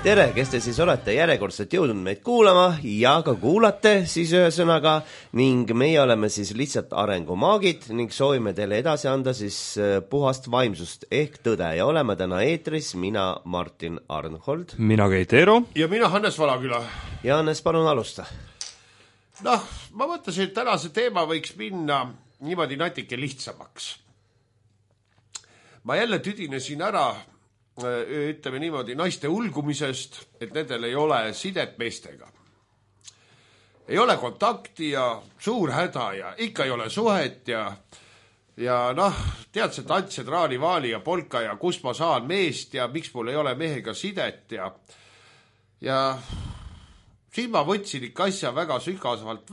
Tere, kes te siis olete järjekordselt jõudnud meid kuulama ja ka kuulate siis ühesõnaga ning meie oleme siis lihtsalt arengumaagid ning soovime teile edasi anda siis puhast vaimsust ehk tõde ja oleme täna eetris mina Martin Arnhold. Mina Keit Eero. Ja mina Hannes Valaküla. Ja Hannes, palun alusta. Noh, ma mõtlesin, et tänase teema võiks minna niimoodi natuke lihtsamaks. Ma jälle tüdinesin ära ütleme niimoodi naiste ulgumisest, et nendel ei ole sidet meestega. Ei ole kontakti ja suur häda ja ikka ei ole suhet ja noh, tead see tants ja traali-vaali ja polka ja kus ma saan meest ja miks mul ei ole mehega sidet ja siin ma võtsin ikka asja väga sügavalt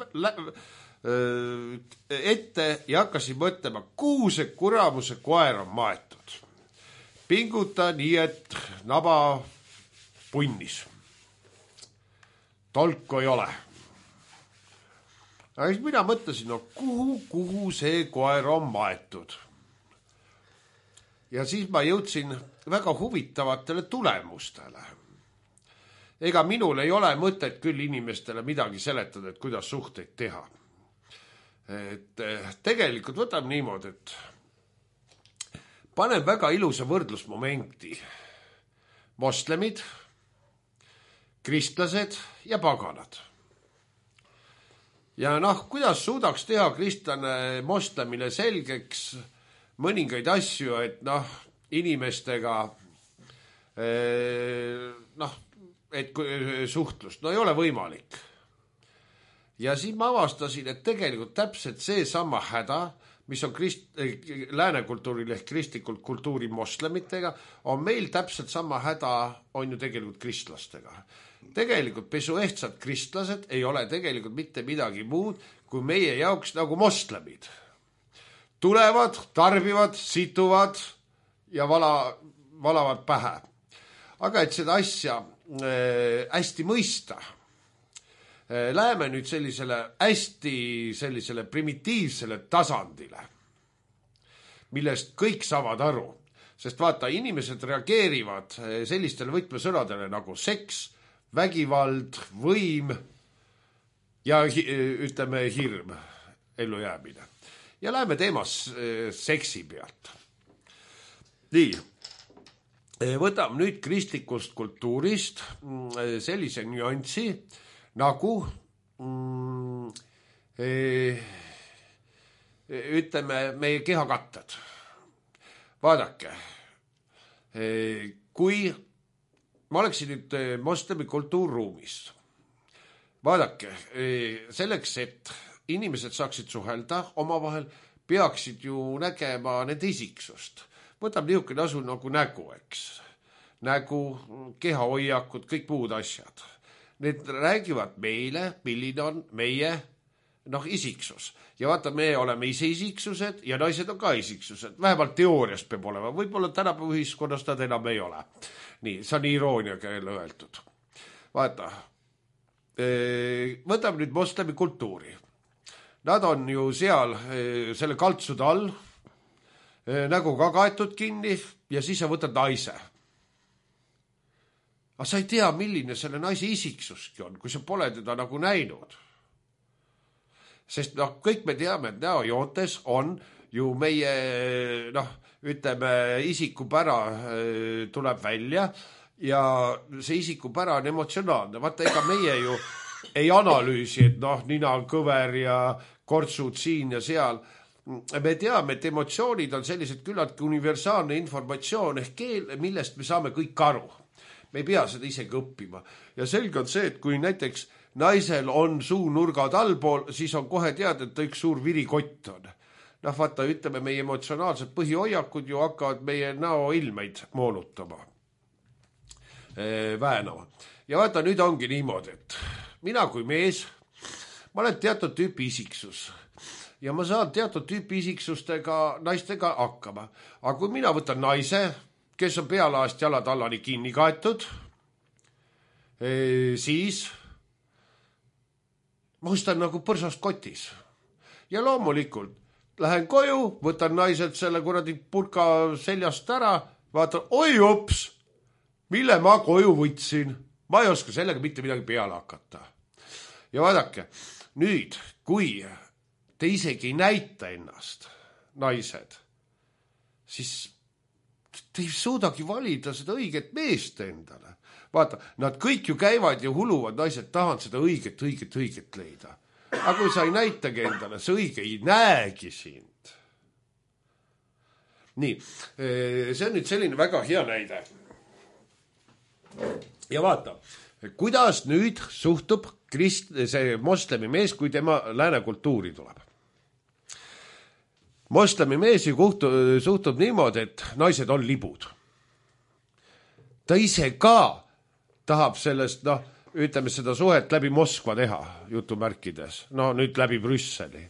ette ja hakkasin mõtlema, kuhu see kuramuse koer on maetud. Pinguta nii, et naba punnis. Tolku ei ole. Aga siis mina mõtlesin, no kuhu see koer on maetud. Ja siis ma jõudsin väga huvitavatele tulemustele. Ega minul ei ole mõtet küll inimestele midagi seletada, et kuidas suhteid teha. Et tegelikult võtame niimoodi, et panen väga ilusa võrdlusmomenti. Moslemid, kristlased ja paganad. Ja noh, kuidas suudaks teha kristlane moslemile selgeks mõningaid asju, et noh, inimestega et suhtlust, no ei ole võimalik. Ja siis ma avastasin, et tegelikult täpselt see sama häda, mis on lääne kultuuril ehk kristlikult kultuuri moslemitega, on meil täpselt sama häda on ju tegelikult kristlastega. Tegelikult pesuehtsad kristlased ei ole tegelikult mitte midagi muud kui meie jaoks nagu moslemid. Tulevad, tarbivad, situvad ja valavad pähe. Aga et seda asja hästi mõista, läheme nüüd sellisele primitiivsele tasandile, millest kõik saavad aru. Sest vaata, inimesed reageerivad sellistele võtmesõnadele nagu seks, vägivald, võim ja ütleme hirm, ellujäämine. Ja läheme teemas seksi pealt. Nii, võtame nüüd kristlikust kultuurist sellise nüanssi, nagu ütleme meie kehakatted. Vaadake, kui ma oleksin nüüd moslemi kultuurruumis, vaadake, selleks, et inimesed saaksid suhelda omavahel, peaksid ju nägema nende isiksust. Võtab niisugune asu nagu nägu, eks. Nägu, kehahoiakud, kõik muud asjad. Need räägivad meile, milline on meie isiksus. Ja vaata, me oleme ise isiksused ja naised on ka isiksused. Vähemalt teoorias peab olema. Võib-olla tänapäeva ühiskonnas nad enam ei ole. Nii, see on irooniaga jälle öeldud. Vaata, võtame nüüd moslemi kultuuri. Nad on ju seal selle kaltsude all, nägu ka kaetud kinni ja siis sa võtad naise. Aga sa ei tea, milline selle naise isiksuski on, kui sa pole teda nagu näinud. Sest kõik me teame, et näojoontes on ju meie, ütleme, isikupära tuleb välja ja see isikupära on emotsionaalne. Vaata, ega meie ju ei analüüsi, et nina on kõver ja kortsud siin ja seal. Me teame, et emotsioonid on sellised küllaltki universaalne informatsioon ehk keel, millest me saame kõik aru. Me ei pea seda isegi õppima. Ja selge on see, et kui näiteks naisel on suunurgad allpool, siis on kohe teada, et ta üks suur virikott on. Vaata, ütleme, meie emotsionaalsed põhihoiakud ju hakkavad meie näoilmeid moonutama, väänama. Ja vaata, nüüd ongi niimoodi, et mina kui mees, ma olen teatud tüüpi isiksus. Ja ma saan teatud tüüpi isiksustega naistega hakkama. Aga kui mina võtan naise, kes on pealaast jalad allani kinni kaetud, siis ma ostan nagu põrsast kotis. Ja loomulikult lähen koju, võtan naiselt selle kuradi purka seljast ära, vaatan, oi ups, mille ma koju võtsin. Ma ei oska sellega mitte midagi peale hakata. Ja vaadake, nüüd, kui te isegi ei näita ennast, naised, siis te ei suudagi valida seda õiget meest endale. Vaata, nad kõik ju käivad ja huluvad, naised tahavad seda õiget leida. Aga kui sa ei näitagi endale, see õige ei näegi sind. Nii, see on nüüd selline väga hea näide. Ja vaata, kuidas nüüd suhtub see moslemi mees, kui tema lääne kultuuri tuleb. Moslemi mees suhtub niimoodi, et naised on libud. Ta ise ka tahab sellest, ütleme seda suhet läbi Moskva teha, jutumärkides. Nüüd läbi Brüsseli.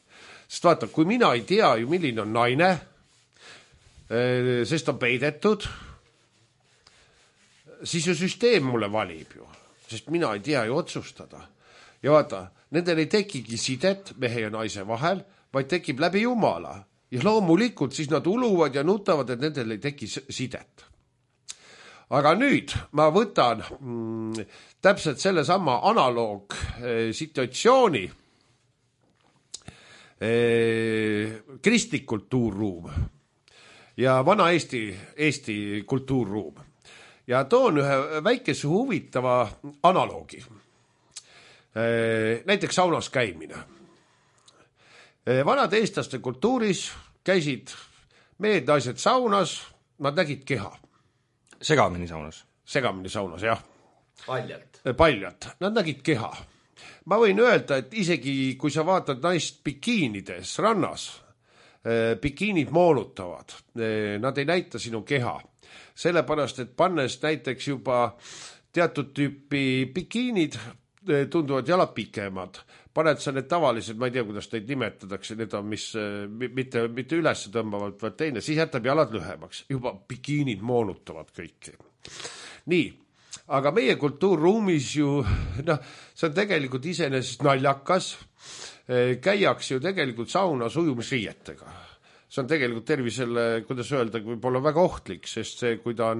Sest vaata, kui mina ei tea ju, milline on naine, sest on peidetud, siis ju süsteem mulle valib ju, sest mina ei tea ju otsustada. Ja vaata, nendel ei tekigi sidet mehe ja naise vahel, vaid tekib läbi Jumala. Ja loomulikult siis nad uluvad ja nutavad, et nendel ei teki sidet. Aga nüüd ma võtan täpselt selle sama analoog situatsiooni kristlik kultuurruum ja vana Eesti kultuurruum. Ja toon ühe väikese huvitava analoogi. Näiteks saunas käimine. Vanad eestlaste kultuuris käisid mehed, naised saunas, nad nägid keha. Segamini saunas, jah. Paljalt. Nad nägid keha. Ma võin öelda, et isegi kui sa vaatad naist bikiinides rannas, bikiinid moonutavad, nad ei näita sinu keha. Sellepärast, et pannes näiteks juba teatud tüüpi bikiinid, tunduvad jalad pikemad. Paned sa need tavalised, ma ei tea, kuidas neid nimetatakse, need on mis mitte üles tõmbavad, vaid teine, siis jätab jalad lühemaks. Juba bikiinid moonutavad kõiki. Nii, aga meie kultuurruumis ju, see on tegelikult iseenesest naljakas, käiaks ju tegelikult saunas ujumisriietega. See on tegelikult tervisele, kuidas öelda, võib-olla väga ohtlik, sest see, kui ta on,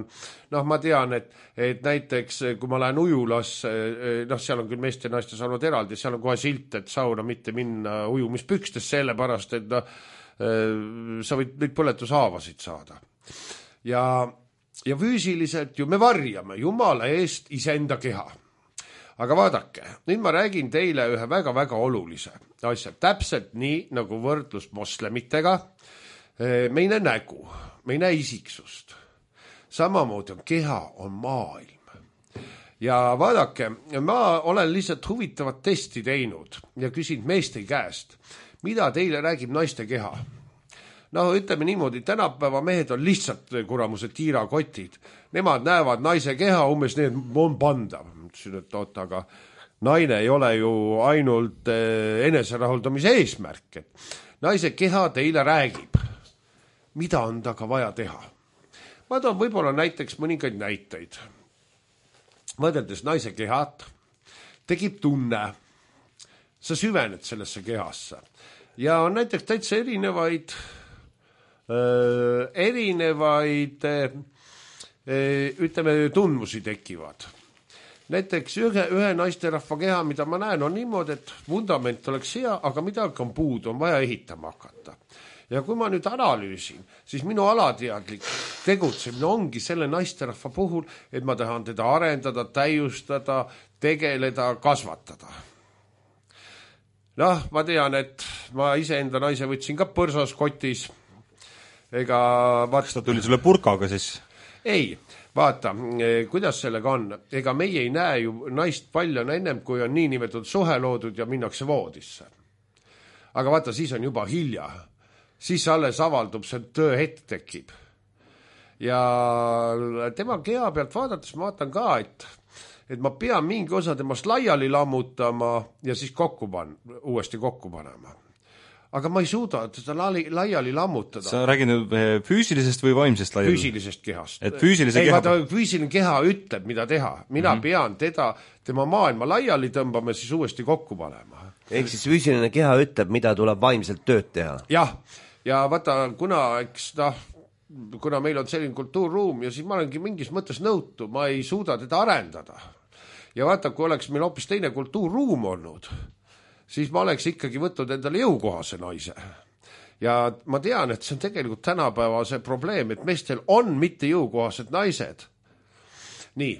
ma tean, et näiteks, kui ma lähen ujulas, seal on küll meeste ja naiste saanud eraldi, seal on kohe silt, et sauna mitte minna ujumispükstes, sellepärast, et sa võid neid põletushaavasid saada. Ja füüsiliselt ju me varjame Jumala eest iseenda keha. Aga vaadake, nüüd ma räägin teile ühe väga-väga olulise asja. Täpselt nii, nagu võrdlus moslemitega, me ei näe nägu, me ei näe isiksust. Samamoodi on keha, on maailm. Ja vaadake, ma olen lihtsalt huvitavat testi teinud ja küsin meeste käest, mida teile räägib naiste keha. Ütleme niimoodi, tänapäeva mehed on lihtsalt kuramused tiirakotid. Nemad näevad naise keha, umbes need on pandav. Ütlesin, et oota, aga naine ei ole ju ainult eneserahuldamise eesmärk. Naise keha teile räägib. Mida on taga vaja teha? Ma toon võib-olla näiteks mõningaid näiteid. Võrreldes naise kehat tekib tunne. Sa süvened sellesse kehasse. Ja on näiteks täitsa erinevaid ütleme, tundmusi tekivad. Näiteks ühe naisterahva keha, mida ma näen, on niimoodi, et vundament oleks hea, aga midagi on puudu, on vaja ehitama hakata. Ja kui ma nüüd analüüsin, siis minu alateadlik tegutsemine ongi selle naisterahva puhul, et ma tahan teda arendada, täiustada, tegeleda, kasvatada. Ma tean, et ma iseenda naise võtsin ka põrsas kotis. Kas ta tuli sulle purkaga siis? Ei, vaata, kuidas sellega on. Ega meie ei näe ju naist palju ennem, kui on niinimetatud suhe loodud ja minnakse voodisse. Aga vaata, siis on juba hilja. Siis alles avaldub, see tööhetk tekib. Ja tema keha pealt vaadates ma vaatan ka, et ma pean mingi osa temast laiali lammutama ja siis uuesti kokku panema. Aga ma ei suuda seda laiali lammutada. Sa räägid nüüd füüsilisest või vaimsest laiali? Füüsilisest kehast. Füüsiline keha ütleb, mida teha. Mina pean tema maailma laiali tõmbama ja siis uuesti kokku panema. Ehk siis füüsiline keha ütleb, mida tuleb vaimselt tööd teha. Jah. Ja vaata, kuna kuna meil on selline kultuurruum ja siis ma olengi mingis mõttes nõutu, ma ei suuda teda arendada. Ja vaata, kui oleks meil hoopis teine kultuurruum olnud, siis ma oleks ikkagi võtnud endale jõukohase naise. Ja ma tean, et see on tegelikult tänapäeva see probleem, et meestel on mitte jõukohased naised. Nii,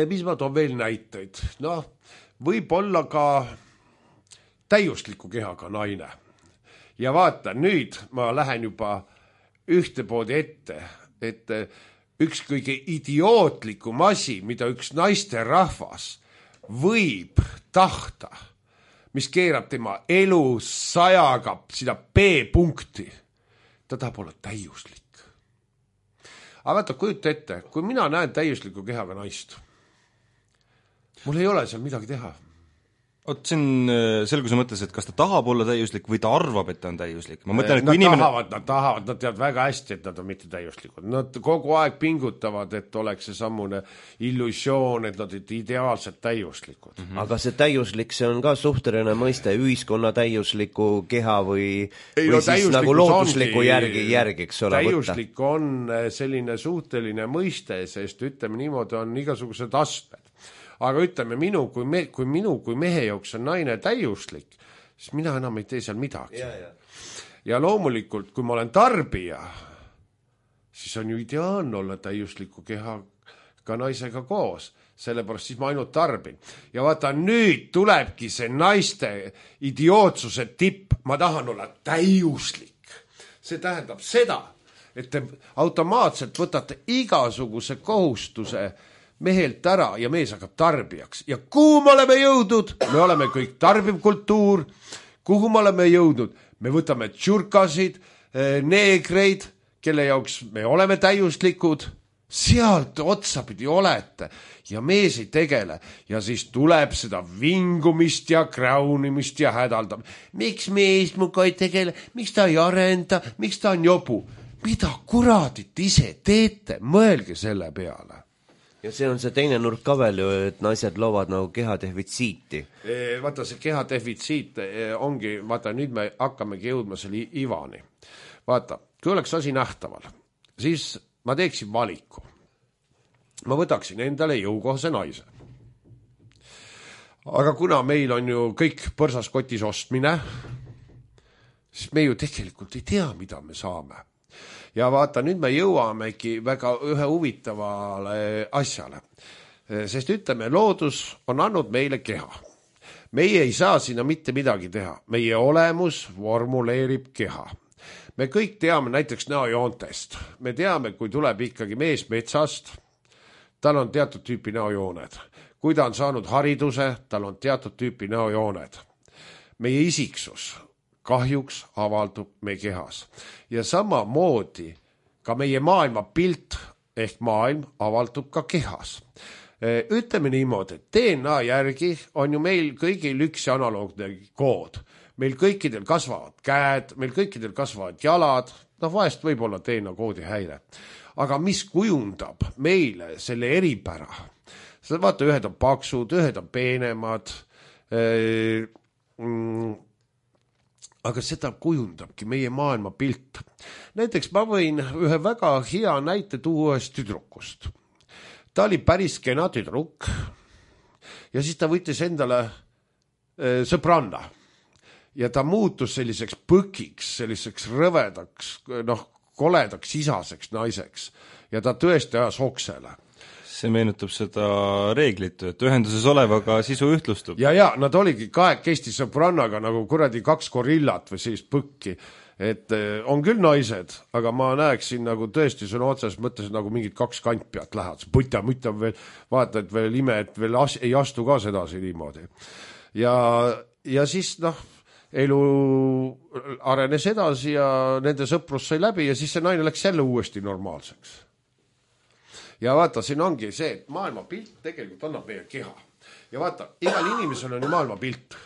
mis ma toon veel näiteid? Noh, võib olla ka täiusliku kehaga naine. Ja vaata, nüüd ma lähen juba ühtepoodi ette, et üks kõige idiootlikum asi, mida üks naiste rahvas võib tahta, mis keerab tema elu sajaga seda B-punkti, ta tahab olla täiuslik. Aga vaata, kujuta ette, kui mina näen täiusliku kehaga naist, mul ei ole seal midagi teha. Oot, see on selguse mõttes, et kas ta tahab olla täiuslik või ta arvab, et ta on täiuslik. Ma mõtlen, et kui inimene... Nad tahavad, nad teavad väga hästi, et nad on mitte täiuslikud. Nad kogu aeg pingutavad, et oleks see sammune illusioon, et nad on ideaalselt täiuslikud. Aga see täiuslik, see on ka suhteline mõiste ühiskonna täiusliku keha või siis nagu loodusliku järgiks ole võtta. Täiuslik on selline suhteline mõiste, sest ütleme niimoodi on igasugused astmed. Aga ütleme, kui mehe jooks on naine täiuslik, siis mina enam ei tee seal midagi. Ja loomulikult, kui ma olen tarbija, siis on ju ideaalne olla täiusliku kehaga naisega koos. Sellepärast siis ma ainult tarbin. Ja vaata, nüüd tulebki see naiste idiootsuse tipp. Ma tahan olla täiuslik. See tähendab seda, et te automaatselt võtate igasuguse kohustuse mehelt ära ja mees hakkab tarbijaks. Ja kuhu me oleme jõudnud? Me oleme kõik tarbiv kultuur. Kuhu me oleme jõudnud? Me võtame tšurkasid, neegreid, kelle jaoks me oleme täiuslikud. Sealt otsapidi olete ja mees ei tegele. Ja siis tuleb seda vingumist ja kräunimist ja hädaldab. Miks mees muga ei tegele? Miks ta ei arenda? Miks ta on jobu? Mida kuradit ise teete? Mõelge selle peale. Ja see on see teine nurk ka veel ju, et naised loovad nagu kehadefitsiiti. Vaata, see kehadefitsiit ongi, vaata, nüüd me hakkamegi jõudma selle ivani. Vaata, kui oleks asi nähtaval, siis ma teeksin valiku. Ma võtaksin endale jõukohase naise. Aga kuna meil on ju kõik põrsaskotis ostmine, siis me ju tegelikult ei tea, mida me saame. Ja vaata, nüüd me jõuamegi väga ühe huvitavale asjale. Sest ütleme, loodus on andnud meile keha. Meie ei saa sinna mitte midagi teha. Meie olemus formuleerib keha. Me kõik teame näiteks näojoontest. Me teame, kui tuleb ikkagi mees metsast, tal on teatud tüüpi näojooned. Kui ta on saanud hariduse, tal on teatud tüüpi näojooned. Meie isiksus kahjuks avaldub meie kehas. Ja samamoodi ka meie maailma pilt ehk maailm avaldub ka kehas. Ütleme niimoodi, et DNA järgi on ju meil kõigil üks analoogne kood. Meil kõikidel kasvavad käed, meil kõikidel kasvavad jalad, vahest võib olla DNA koodi häire. Aga mis kujundab meile selle eripära? Vaata, ühed on paksud, ühed on peenemad, aga seda kujundabki meie maailma pilt. Näiteks ma võin ühe väga hea näite tuua ühest tüdrukust. Ta oli päris kena tüdruk ja siis ta võttis endale sõbranna ja ta muutus selliseks põkiks, selliseks rõvedaks, koledaks isaseks naiseks ja ta tõesti ajas oksele. See meenutab seda reeglit, et ühenduses olevaga sisu ühtlustub. Ja, nad oligi kahekesti sõbrannaga nagu kuradi 2 gorillat või sellist põkki. Et on küll naised, aga ma näeksin nagu tõesti sõna otses mõttes nagu mingid 2 kantpead lähevad. Puta veel, vaata, et veel ime, et veel ei astu ka sedasi niimoodi. Ja siis elu arenes edasi ja nende sõprus sai läbi ja siis see naine läks jälle uuesti normaalseks. Ja vaata, siin ongi see, et maailma pilt tegelikult annab meie keha. Ja vaata, igal inimesel on ju maailma pilt.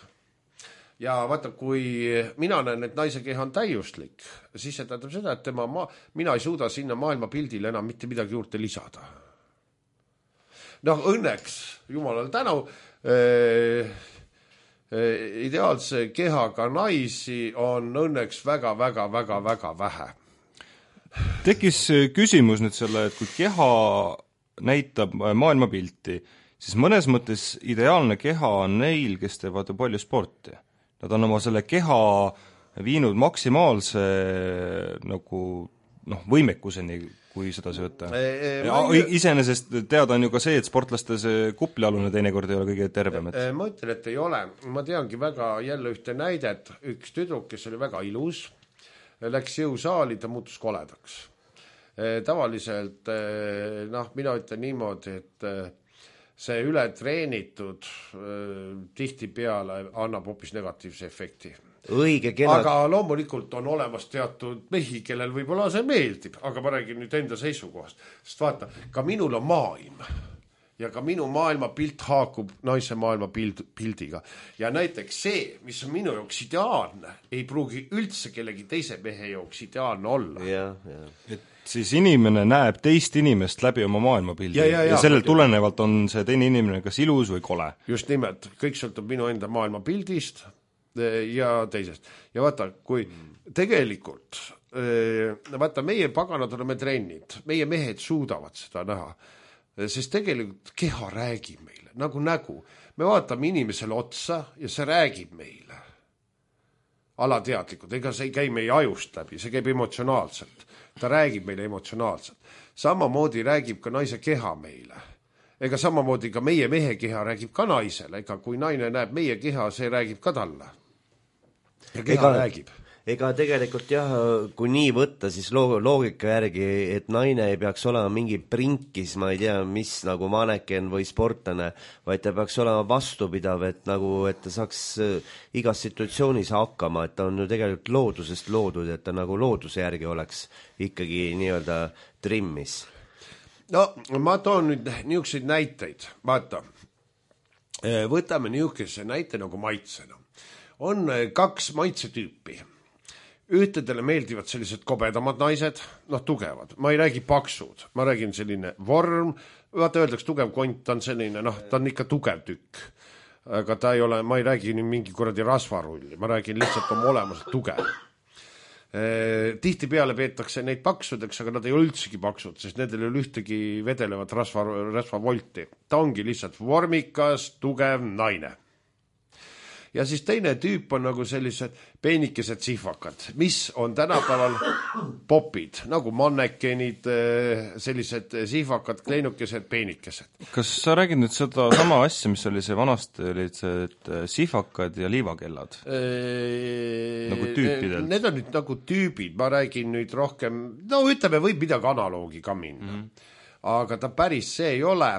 Ja vaata, kui mina näen, et naise keha on täiuslik, siis see tähendab seda, et mina ei suuda sinna maailma pildile enam mitte midagi juurde lisada. Õnneks, jumalale tänu, ideaalse kehaga naisi on õnneks väga vähe. Tekkis küsimus nüüd selle, et kui keha näitab maailmapilti, siis mõnes mõttes ideaalne keha on neil, kes teevad palju sporti. Nad on oma selle keha viinud maksimaalse nagu võimekuseni, kui seda see võtta. Iseenesest teada on ju ka see, et sportlaste see kuplialune teinekord ei ole kõige tervem. Ma ütlen, et ei ole. Ma teangi väga jälle ühte näidet. Üks tüdruk, kes oli väga ilus, läks jõusaali, ta muutus koledaks. Tavaliselt, mina ütlen niimoodi, et see ületreenitud tihtipeale annab hoopis negatiivse efekti. Õige, kena. Aga loomulikult on olemas teatud mehi, kellel võib-olla see meeldib, aga ma räägin nüüd enda seisukohast. Sest vaata, ka minul on maailm ja ka minu maailmapilt haakub naise maailmapildiga. Ja näiteks see, mis on minu jaoks ideaalne, ei pruugi üldse kellegi teise mehe jaoks ideaalne olla. Et siis inimene näeb teist inimest läbi oma maailmapildi ja sellel tulenevalt on see teine inimene kas ilus või kole. Just nimelt, kõik sõltub minu enda maailmapildist ja teisest. Ja vaata, kui tegelikult, vaata, meie paganad oleme trennid, meie mehed suudavad seda näha, sest tegelikult keha räägib meile, nagu nägu. Me vaatame inimesele otsa ja see räägib meile. Alateadlikud, ega see ei käi meie ajust läbi, see käib emotsionaalselt. Ta räägib meile emotsionaalselt. Samamoodi räägib ka naise keha meile. Ega samamoodi ka meie mehe keha räägib ka naisele, ega kui naine näeb meie keha, see räägib ka talle. Ja keha räägib. Ega tegelikult jah, kui nii võtta, siis loogika järgi, et naine ei peaks olema mingi prinkis, ma ei tea, mis nagu maneken või sportlane, vaid ta peaks olema vastupidav, et ta saaks igas situatsioonis hakkama, et ta on ju tegelikult loodusest loodud, et ta nagu looduse järgi oleks ikkagi nii-öelda trimmis. No, ma toon nüüd niisuguseid näiteid. Vaata, võtame niisuguse näite nagu maitsena. On 2 maitsetüüpi. Ühtedele meeldivad sellised kobedamad naised, tugevad. Ma ei räägi paksud, ma räägin selline vorm. Vaata, öeldaks tugev kont, ta on selline, ta on ikka tugev tükk. Aga ta ei ole, ma ei räägi mingi kuradi rasvarulli, ma räägin lihtsalt oma olemuselt tugev. Tihtipeale peetakse neid paksudeks, aga nad ei ole üldsegi paksud, sest nendel ei ole ühtegi vedelevat rasvavolti. Ta ongi lihtsalt vormikas, tugev naine. Ja siis teine tüüp on nagu sellised peenikesed sihvakad, mis on tänapäeval popid, nagu mannekenid, sellised sihvakad, kleinukesed, peenikesed. Kas sa räägid nüüd seda sama asja, mis oli see vanasti, olid see sihvakad ja liivakellad? Nagu tüüpidelt? Need on nüüd nagu tüübid, ma räägin nüüd rohkem, ütleme, võib midagi analoogi ka minna. Aga ta päris see ei ole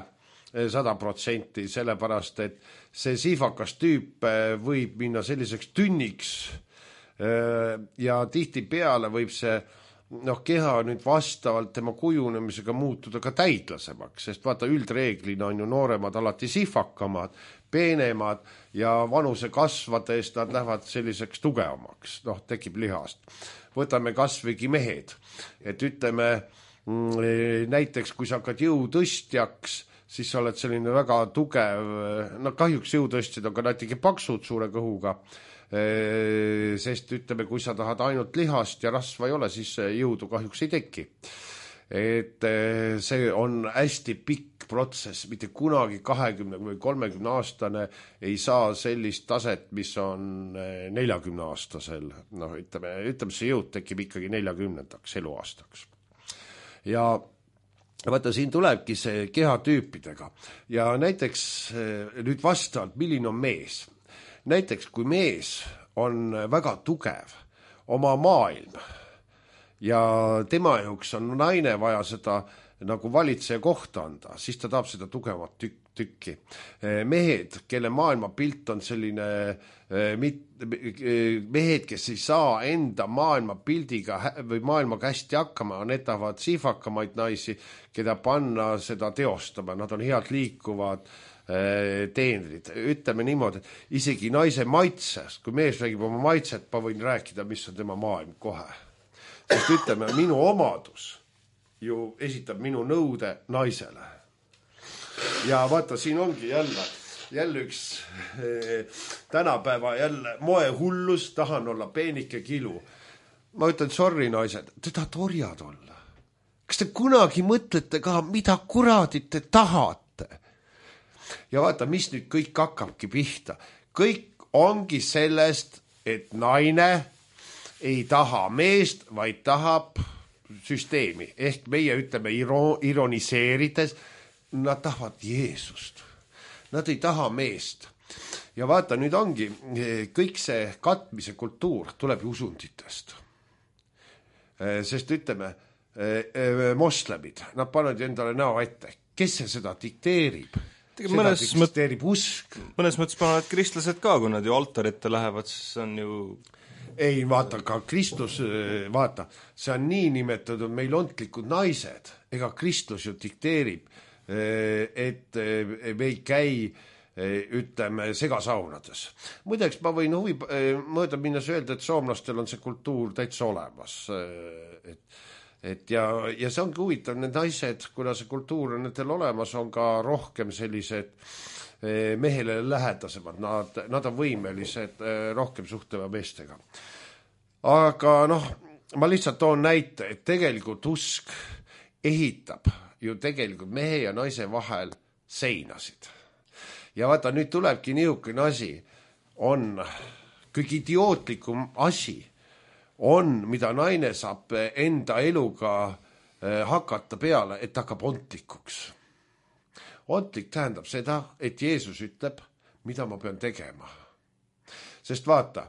100%, sellepärast, et see siifakas tüüp võib minna selliseks tünniks ja tihti peale võib see keha nüüd vastavalt tema kujunemisega muutuda ka täitlasemaks, sest vaata üldreeglina on ju nooremad alati siifakamad, peenemad ja vanuse kasvades nad lähevad selliseks tugevamaks, tekib lihast. Võtame kasvõigi mehed, et ütleme näiteks, kui sa hakkad jõutõstjaks, siis sa oled selline väga tugev, kahjuks jõutõstjad on ka natuke paksud suure kõhuga, sest ütleme, kui sa tahad ainult lihast ja rasva ei ole, siis jõudu kahjuks ei teki. Et see on hästi pikk protsess, mitte kunagi 20 või 30 aastane ei saa sellist taset, mis on 40 aastasel. Ütleme, see jõud tekib ikkagi 40-ndaks eluaastaks. Ja vaata, siin tulebki see kehatüüpidega ja näiteks nüüd vastavalt, milline on mees. Näiteks, kui mees on väga tugev oma maailm ja tema jaoks on naine vaja seda nagu valitseja kohta anda, siis ta tahab seda tugevat tükki. Mehed, kelle maailmapilt on selline, mehed, kes ei saa enda maailmapildiga või maailmaga hästi hakkama, need tahavad siifakamaid naisi, keda panna seda teostama, nad on head liikuvad teenrid. Ütleme niimoodi, et isegi naise maitsest, kui mees räägib oma maitset, ma võin rääkida, mis on tema maailm kohe. Sest ütleme, minu omadus ju esitab minu nõude naisele. Ja vaata, siin ongi jälle üks tänapäeva jälle moehullus, tahan olla peenike kilu. Ma ütlen, sorry naised, te tahate orjad olla. kas te kunagi mõtlete ka, mida kuradit te tahate? Ja vaata, mis nüüd kõik hakkabki pihta. Kõik ongi sellest, et naine ei taha meest, vaid tahab süsteemi. Ehk meie ütleme ironiseerides, nad tahavad Jeesust. Nad ei taha meest. Ja vaata, nüüd ongi kõik see katmise kultuur tuleb usunditest. Sest ütleme, moslemid, nad panevad endale näo ette. Kes see seda dikteerib? Seda dikteerib usk. Mõnes mõttes panevad kristlased ka, kui nad ju altarite lähevad, siis on ju... Ei, vaata, ka Kristus, vaata, see on nii nimetatud meil ontlikud naised. Ega Kristus ju dikteerib, et me ei käi, ütleme, segasaunades. Muideks ma võin mööda minnes öelda, et soomlastel on see kultuur täitsa olemas. Ja see ongi huvitav, need naised, kuna see kultuur on nendel olemas, on ka rohkem sellised mehele lähedasemad, nad on võimelised rohkem suhtlema meestega. Aga ma lihtsalt toon näite, et tegelikult usk ehitab ju tegelikult mehe ja naise vahel seinasid. Ja vaata, nüüd tulebki niisugune asi, on kõik idiootlikum asi, on, mida naine saab enda eluga hakata peale, et hakkab ontlikuks. Ontlik tähendab seda, et Jeesus ütleb, mida ma pean tegema. Sest vaata,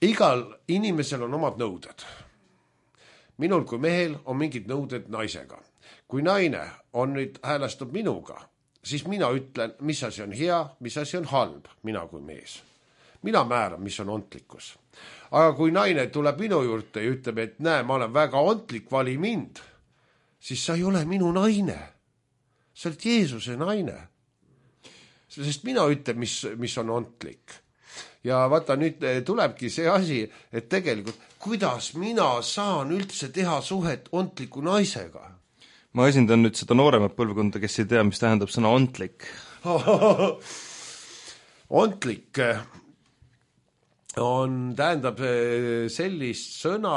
igal inimesel on omad nõuded. Minul kui mehel on mingid nõuded naisega. Kui naine on nüüd häälestub minuga, siis mina ütlen, mis asi on hea, mis asi on halb, mina kui mees. Mina määran, mis on ontlikkus. Aga kui naine tuleb minu juurde ja ütleb, et näe, ma olen väga ontlik, vali mind, siis sa ei ole minu naine. Sa oled Jeesuse naine. Sest mina ütlen, mis on ontlik. Ja vaata, nüüd tulebki see asi, et tegelikult, kuidas mina saan üldse teha suhet ontliku naisega? Ma esindan nüüd seda nooremat põlvkonda, kes ei tea, mis tähendab sõna ontlik. Ontlik tähendab sellist sõna,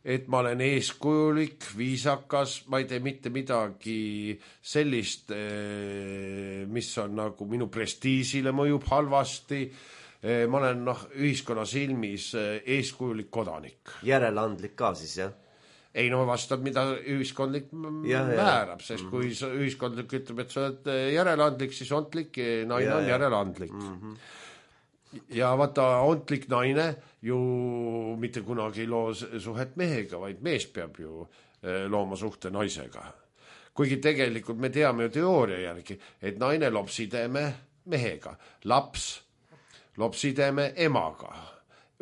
et ma olen eeskujulik, viisakas, ma ei tee mitte midagi sellist, mis on nagu minu prestiisile mõjub halvasti. Ma olen ühiskonna silmis eeskujulik kodanik. Järeleandlik ka siis, jah? Ei, vastab, mida ühiskondlik määrab, sest kui ühiskondlik ütleb, et sa oled järeleandlik, siis ontlik naine on järeleandlik. Ja vaata, ontlik naine ju mitte kunagi ei loo suhet mehega, vaid mees peab ju looma suhte naisega. Kuigi tegelikult me teame ju teooria järgi, et naine loob sideme mehega, laps loob sideme emaga.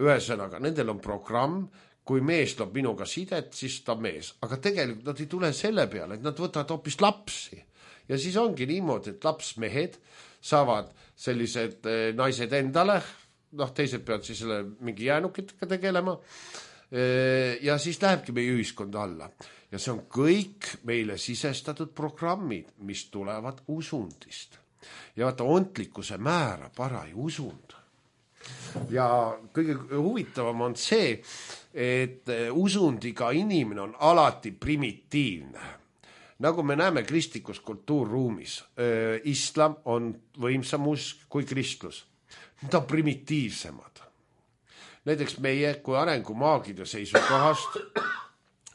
Ühesõnaga, nendel on programm, kui mees loob minuga sidet, siis ta mees. Aga tegelikult nad ei tule selle peale, et nad võtavad hoopis lapsi. Ja siis ongi niimoodi, et lapsmehed saavad sellised naised endale, teised peavad siis selle mingi jäänukitega tegelema, ja siis lähebki meie ühiskond alla. Ja see on kõik meile sisestatud programmid, mis tulevad usundist. Ja vaata, ontlikkuse määrab paraju usund. Ja kõige huvitavam on see, et usundiga inimene on alati primitiivne. Nagu me näeme kristlikus kultuurruumis, islam on võimsam usk kui kristlus. Need on primitiivsemad. Näiteks meie kui arengumaagide seisukohast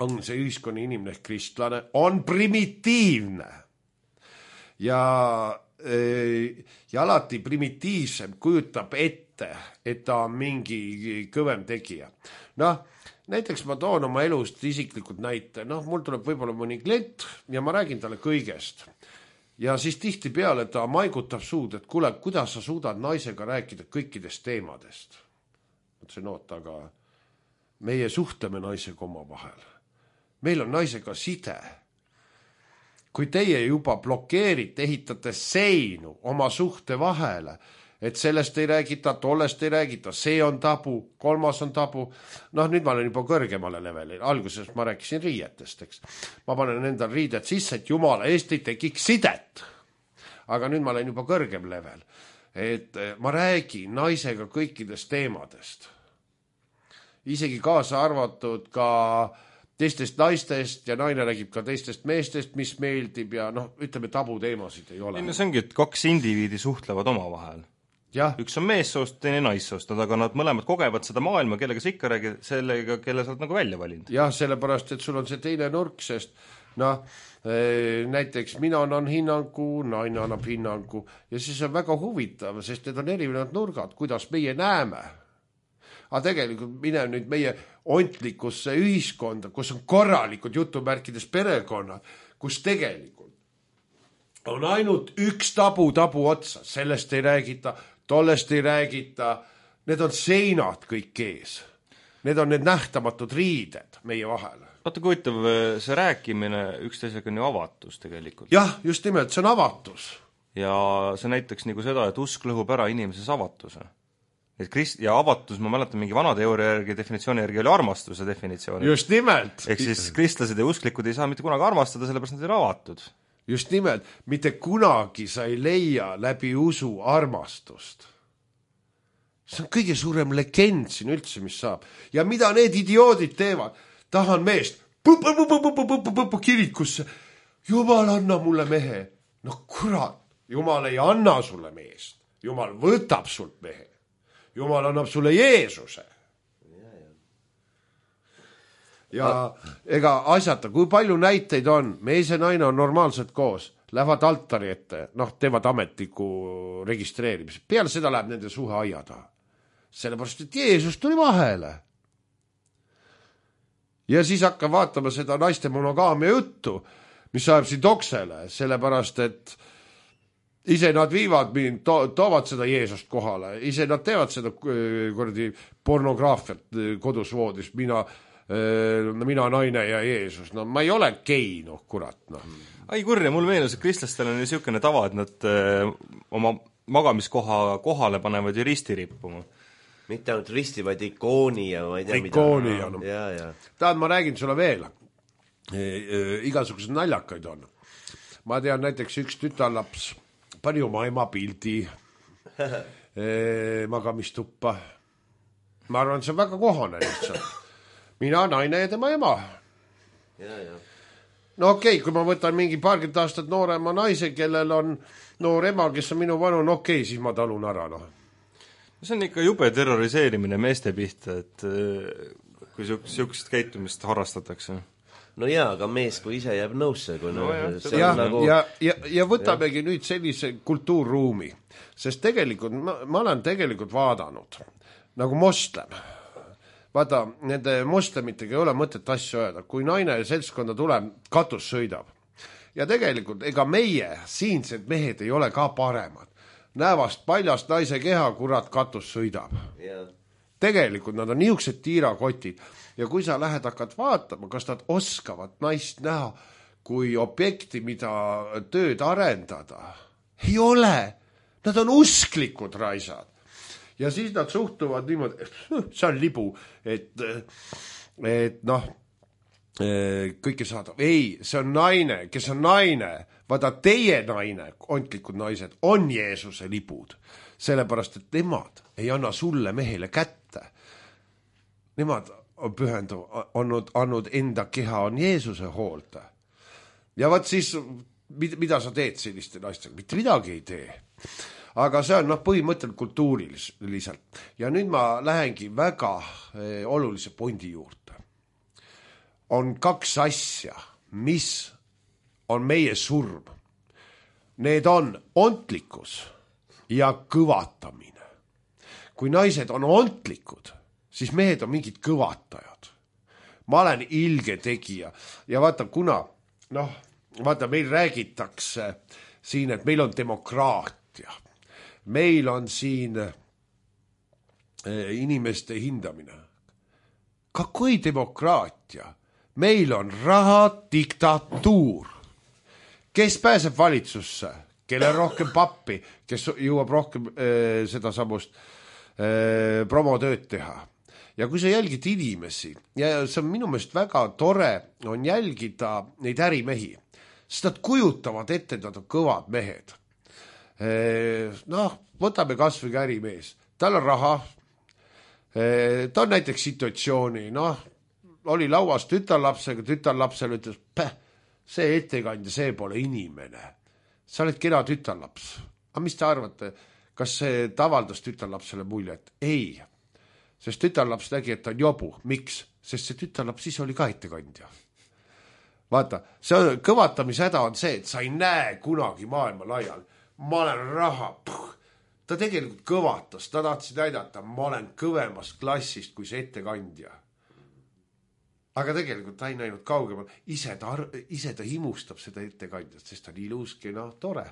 on see ühiskonna inimene ehk kristlane, on primitiivne. Ja alati primitiivsem kujutab ette, et ta on mingi kõvem tegija. Näiteks ma toon oma elust isiklikult näite. Mul tuleb võib-olla mõni klient ja ma räägin talle kõigest. Ja siis tihti peale ta maigutab suud, et kuule, kuidas sa suudad naisega rääkida kõikidest teemadest. Mõtlesin, aga meie suhtleme naisega oma vahel. Meil on naisega side. Kui teie juba blokeerite, ehitate seinu oma suhte vahele, et sellest ei räägita, tollest ei räägita, see on tabu, kolmas on tabu. Nüüd ma olen juba kõrgemale levelil. Alguses ma rääkisin riietest, eks. Ma panen endal riidet sisse, et jumala eest ei tekiks sidet. Aga nüüd ma olen juba kõrgem level. Et ma räägin naisega kõikidest teemadest. Isegi kaasa arvatud ka teistest naistest ja naine räägib ka teistest meestest, mis meeldib ja noh, ütleme tabuteemasid ei ole. No see ongi, et kaks indiviidi suhtlevad omavahel. Jah. Üks on meessoost, teine naissoost, aga nad mõlemad kogevad seda maailma, kellega sa ikka räägid, sellega, kelle sa oled nagu välja valinud. Jah, sellepärast, et sul on see teine nurk, sest noh, näiteks mina annan hinnangu, naine annab hinnangu ja siis on väga huvitav, sest need on erinevad nurgad, kuidas meie näeme. Aga tegelikult mine nüüd meie ontlikusse ühiskonda, kus on korralikud jutumärkides perekonnad, kus tegelikult on ainult üks tabu otsa, sellest ei räägita, tollest ei räägita, need on seinad kõik ees. Need on need nähtamatud riided meie vahel. Vaata, kui huvitav, see rääkimine üksteisega on ju avatus tegelikult. Jah, just nimelt, see on avatus. Ja see näiteks nagu seda, et usk lõhub ära inimeses avatuse. Et ja avatus, ma mäletan mingi vana teooria järgi, definitsiooni järgi oli armastuse definitsioon. Just nimelt. Ehk siis kristlased ja usklikud ei saa mitte kunagi armastada, sellepärast nad ei ole avatud. Just nimelt, mitte kunagi sa ei leia läbi usu armastust. See on kõige suurem legend siin üldse, mis saab. Ja mida need idioodid teevad? Tahan meest, kirikusse. Jumal, anna mulle mehe. No kurat, Jumal ei anna sulle meest. Jumal võtab sult mehe. Jumal annab sulle Jeesuse. Ja ega asjata, kui palju näiteid on, mees ja naine on normaalselt koos, lähevad altari ette, noh, teevad ametliku registreerimise. Peale seda läheb nende suhe aia taha. Sellepärast, et Jeesus tuli vahele. Ja siis hakkab vaatama seda naiste monogaamia juttu, mis ajab siin toksele, sellepärast, et ise nad viivad mind, toovad seda Jeesust kohale, ise nad teevad seda pornograafiat kodus voodis, mina naine ja Jeesus, no ma ei ole gei, noh kurat, noh. Ai kurja, mul meenus, et kristlastel on ju siukene tava, et nad oma magamiskoha kohale panevad ju risti rippuma. Mitte ainult risti, vaid ikooni ja ma ei tea ikooni mida. Ja, no. Ja. Tahad, ma räägin sulle veel. Igasugused naljakaid on. Ma tean näiteks üks tütarlaps pani oma ema pildi magamistuppa. Ma arvan, see on väga kohane lihtsalt. Mina, naine ja tema ema. Ja. No okei, kui ma võtan mingi paarkümmend aastat noorema naise, kellel on noor ema, kes on minu vanu, no okei, siis ma talun ära, noh. See on ikka jube terroriseerimine meeste pihta, et kui siukest käitumist harrastatakse. No jaa, aga mees, kui ise jääb nõusse. Kui nagu... ja võtamegi nüüd sellise kultuurruumi, sest tegelikult ma olen tegelikult vaadanud nagu moslem. Vaata, nende moslemitega ei ole mõtet asju öelda. Kui naine seltskonda tuleb, katus sõidab. Ja tegelikult ega meie siinsed mehed ei ole ka paremad. Näevast paljast naise keha, kurat, katus sõidab. Yeah. Tegelikult nad on niisugused tiirakotid. Ja kui sa lähed hakkad vaatama, kas nad oskavad naist näha kui objekti, mida tööd arendada. Ei ole. Nad on usklikud raisad. Ja siis nad suhtuvad niimoodi, see on libu, et noh, kõike saadab. Ei, see on naine, kes on naine. Vaata, teie naine, ontlikud naised, on Jeesuse libud. Sellepärast, et nemad ei anna sulle mehele kätte. Nemad on andnud enda keha on Jeesuse hoolda. Ja vaat siis, mida sa teed selliste naistega? Mitte midagi ei tee. Aga see on põhimõtteliselt kultuuriliselt. Ja nüüd ma lähengi väga olulise pointi juurde. On kaks asja, mis on meie surm. Need on ontlikkus ja kõvatamine. Kui naised on ontlikud, siis mehed on mingid kõvatajad. Ma olen ilge tegija. Ja vaata, kuna, meil räägitakse siin, et meil on demokraatia. Meil on siin inimeste hindamine. Kakoi demokraatia? Meil on raha diktatuur. Kes pääseb valitsusse? Kelle rohkem pappi? Kes jõuab rohkem seda samust promotööd teha? Ja kui sa jälgid inimesi, ja see on minu meelest väga tore on jälgida neid ärimehi, sest nad kujutavad ette, nad on kõvad mehed. Võtame kas või ärimees. Tal on raha, ta on näiteks situatsiooni, oli lauas tütarlapsega, tütarlapsele ütles, see ettekandja, see pole inimene. Sa oled kena tütarlaps. Aga mis te arvate, kas see avaldas tütarlapsele muljet? Ei, sest tütarlaps nägi, et ta on jobu. Miks? Sest see tütarlaps siis oli ka ettekandja. Vaata, see kõvatamisehäda on see, et sa ei näe kunagi maailma laial. Ma olen raha. Ta tegelikult kõvatas, ta tahtsi näidata, ma olen kõvemast klassist kui see ettekandja. Aga tegelikult ta ei näinud kaugemal. Ise ta himustab seda ettekandjat, sest ta on ilus, kena, tore.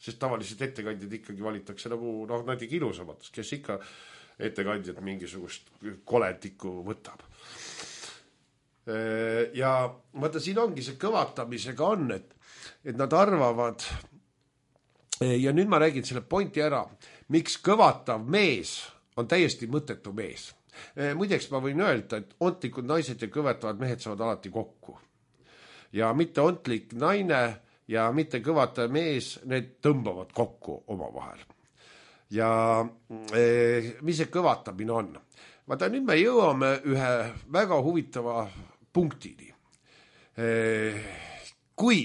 Sest tavaliselt ettekandjad ikkagi valitakse nagu näiteks ilusamatus, kes ikka ettekandjad mingisugust koletikku võtab. Ja vaata, siin ongi see kõvatamisega on, et nad arvavad, ja nüüd ma räägin selle pointi ära, miks kõvatav mees on täiesti mõttetu mees. Muideks ma võin öelda, et ontlikud naised ja kõvetavad mehed saavad alati kokku. Ja mitte ontlik naine ja mitte kõvatav mees, need tõmbavad kokku oma vahel. Ja mis see kõvatamine on? Vaata, nüüd me jõuame ühe väga huvitava punktini. Kui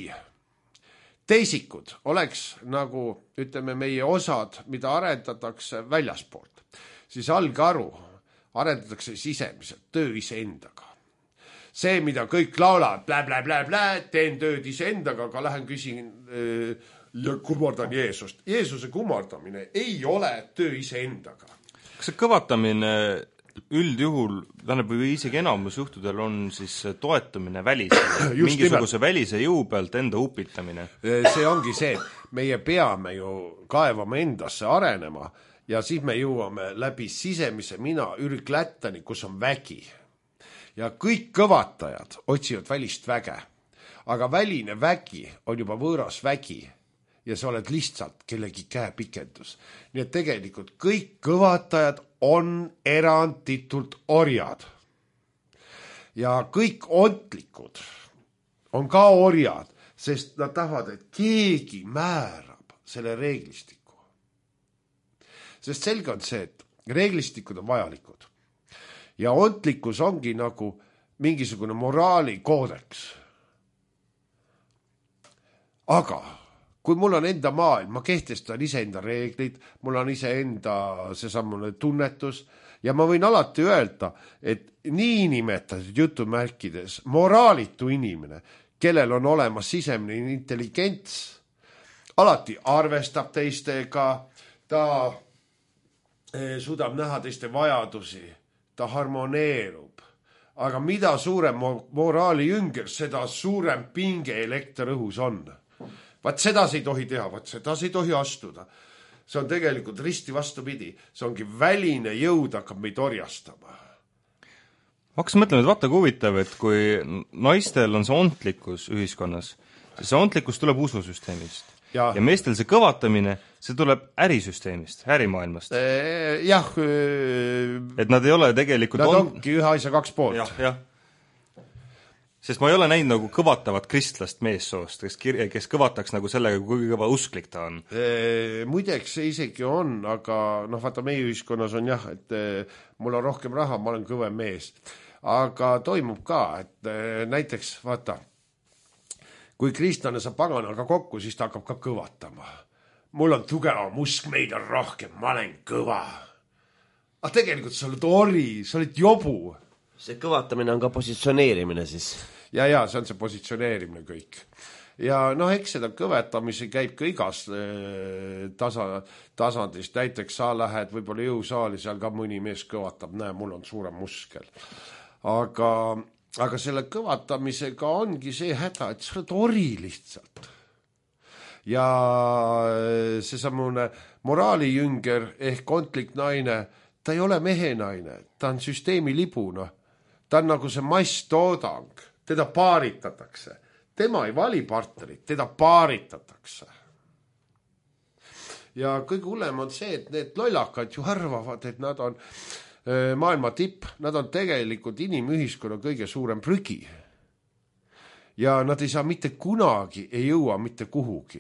teisikud oleks nagu, ütleme, meie osad, mida arendatakse väljaspoolt, siis algaru arendatakse sisemiselt, töö iseendaga. See, mida kõik laulavad, teen tööd iseendaga, aga lähen küsin ja kummardan Jeesust. Jeesuse kummardamine ei ole töö iseendaga. Kas see kõvatamine üldjuhul, või isegi enamus juhtudel on siis toetumine välisele, mingisuguse välise jõu pealt enda upitamine? See ongi see, meie peame ju kaevama endasse arenema, ja siis me jõuame läbi sisemise mina ürglättani, kus on vägi. Ja kõik kõvatajad otsivad välist väge. Aga väline vägi on juba võõras vägi ja sa oled lihtsalt kellegi käepikendus. Nii et tegelikult kõik kõvatajad on eranditult orjad. Ja kõik ontlikud on ka orjad, sest nad tahavad, et keegi määrab selle reeglistiku. Sest selge on see, et reeglistikud on vajalikud. Ja ontlikkus ongi nagu mingisugune moraalikoodeks. Aga kui mul on enda maailm, ma kehtestan iseenda reeglid, mul on iseenda seesamune tunnetus ja ma võin alati öelda, et nii nimetatud jutumärkides moraalitu inimene, kellel on olemas sisemine intelligents, alati arvestab teistega, ta suudab näha teiste vajadusi, ta harmoneerub. Aga mida suurem moraali jünger, seda suurem pinge elekter õhus on. Vaat seda ei tohi teha, vaat seda ei tohi astuda. See on tegelikult risti vastupidi. See ongi väline jõud hakkab meid orjastama. Ma hakkasin mõtlema, et vaata kui huvitav, et kui naistel on see ontlikkus ühiskonnas, siis see ontlikkus tuleb ususüsteemist. Ja meestel see kõvatamine, see tuleb ärisüsteemist, ärimaailmast. Jah. Et nad ei ole tegelikult... Nad ongi ühe asja kaks poolt. Jah. Sest ma ei ole näinud nagu kõvatavat kristlast meessoost, kes kõvataks nagu sellega, kui kõva usklik ta on. Muideks see isegi on, aga vaata meie ühiskonnas on jah, et mul on rohkem raha, ma olen kõvem mees. Aga toimub ka, et näiteks vaata, kui kristlane saab paganaga kokku, siis ta hakkab ka kõvatama. Mul on tugevam usk, meid on rohkem, ma olen kõva. Aga tegelikult sa oled ori, sa oled jobu. See kõvatamine on ka positsioneerimine siis. Ja, see on see positsioneerimine kõik. Ja eks seda kõvetamisi käib ka igas tasandist. Näiteks sa lähed võib-olla jõusaali, seal ka mõni mees kõvatab, näe, mul on suurem muskel. Aga selle kõvatamisega ongi see häda, et sa oled ori lihtsalt. Ja see samune moraalijünger ehk ontlik naine, ta ei ole mehe naine, ta on süsteemi libuna. Ta on nagu see masstoodang, teda paaritatakse. Tema ei vali partnerit, teda paaritatakse. Ja kõige hullem on see, et need lollakad ju arvavad, et nad on maailma tipp, nad on tegelikult inimühiskonna kõige suurem prügi. Ja nad ei saa mitte kunagi, ei jõua mitte kuhugi.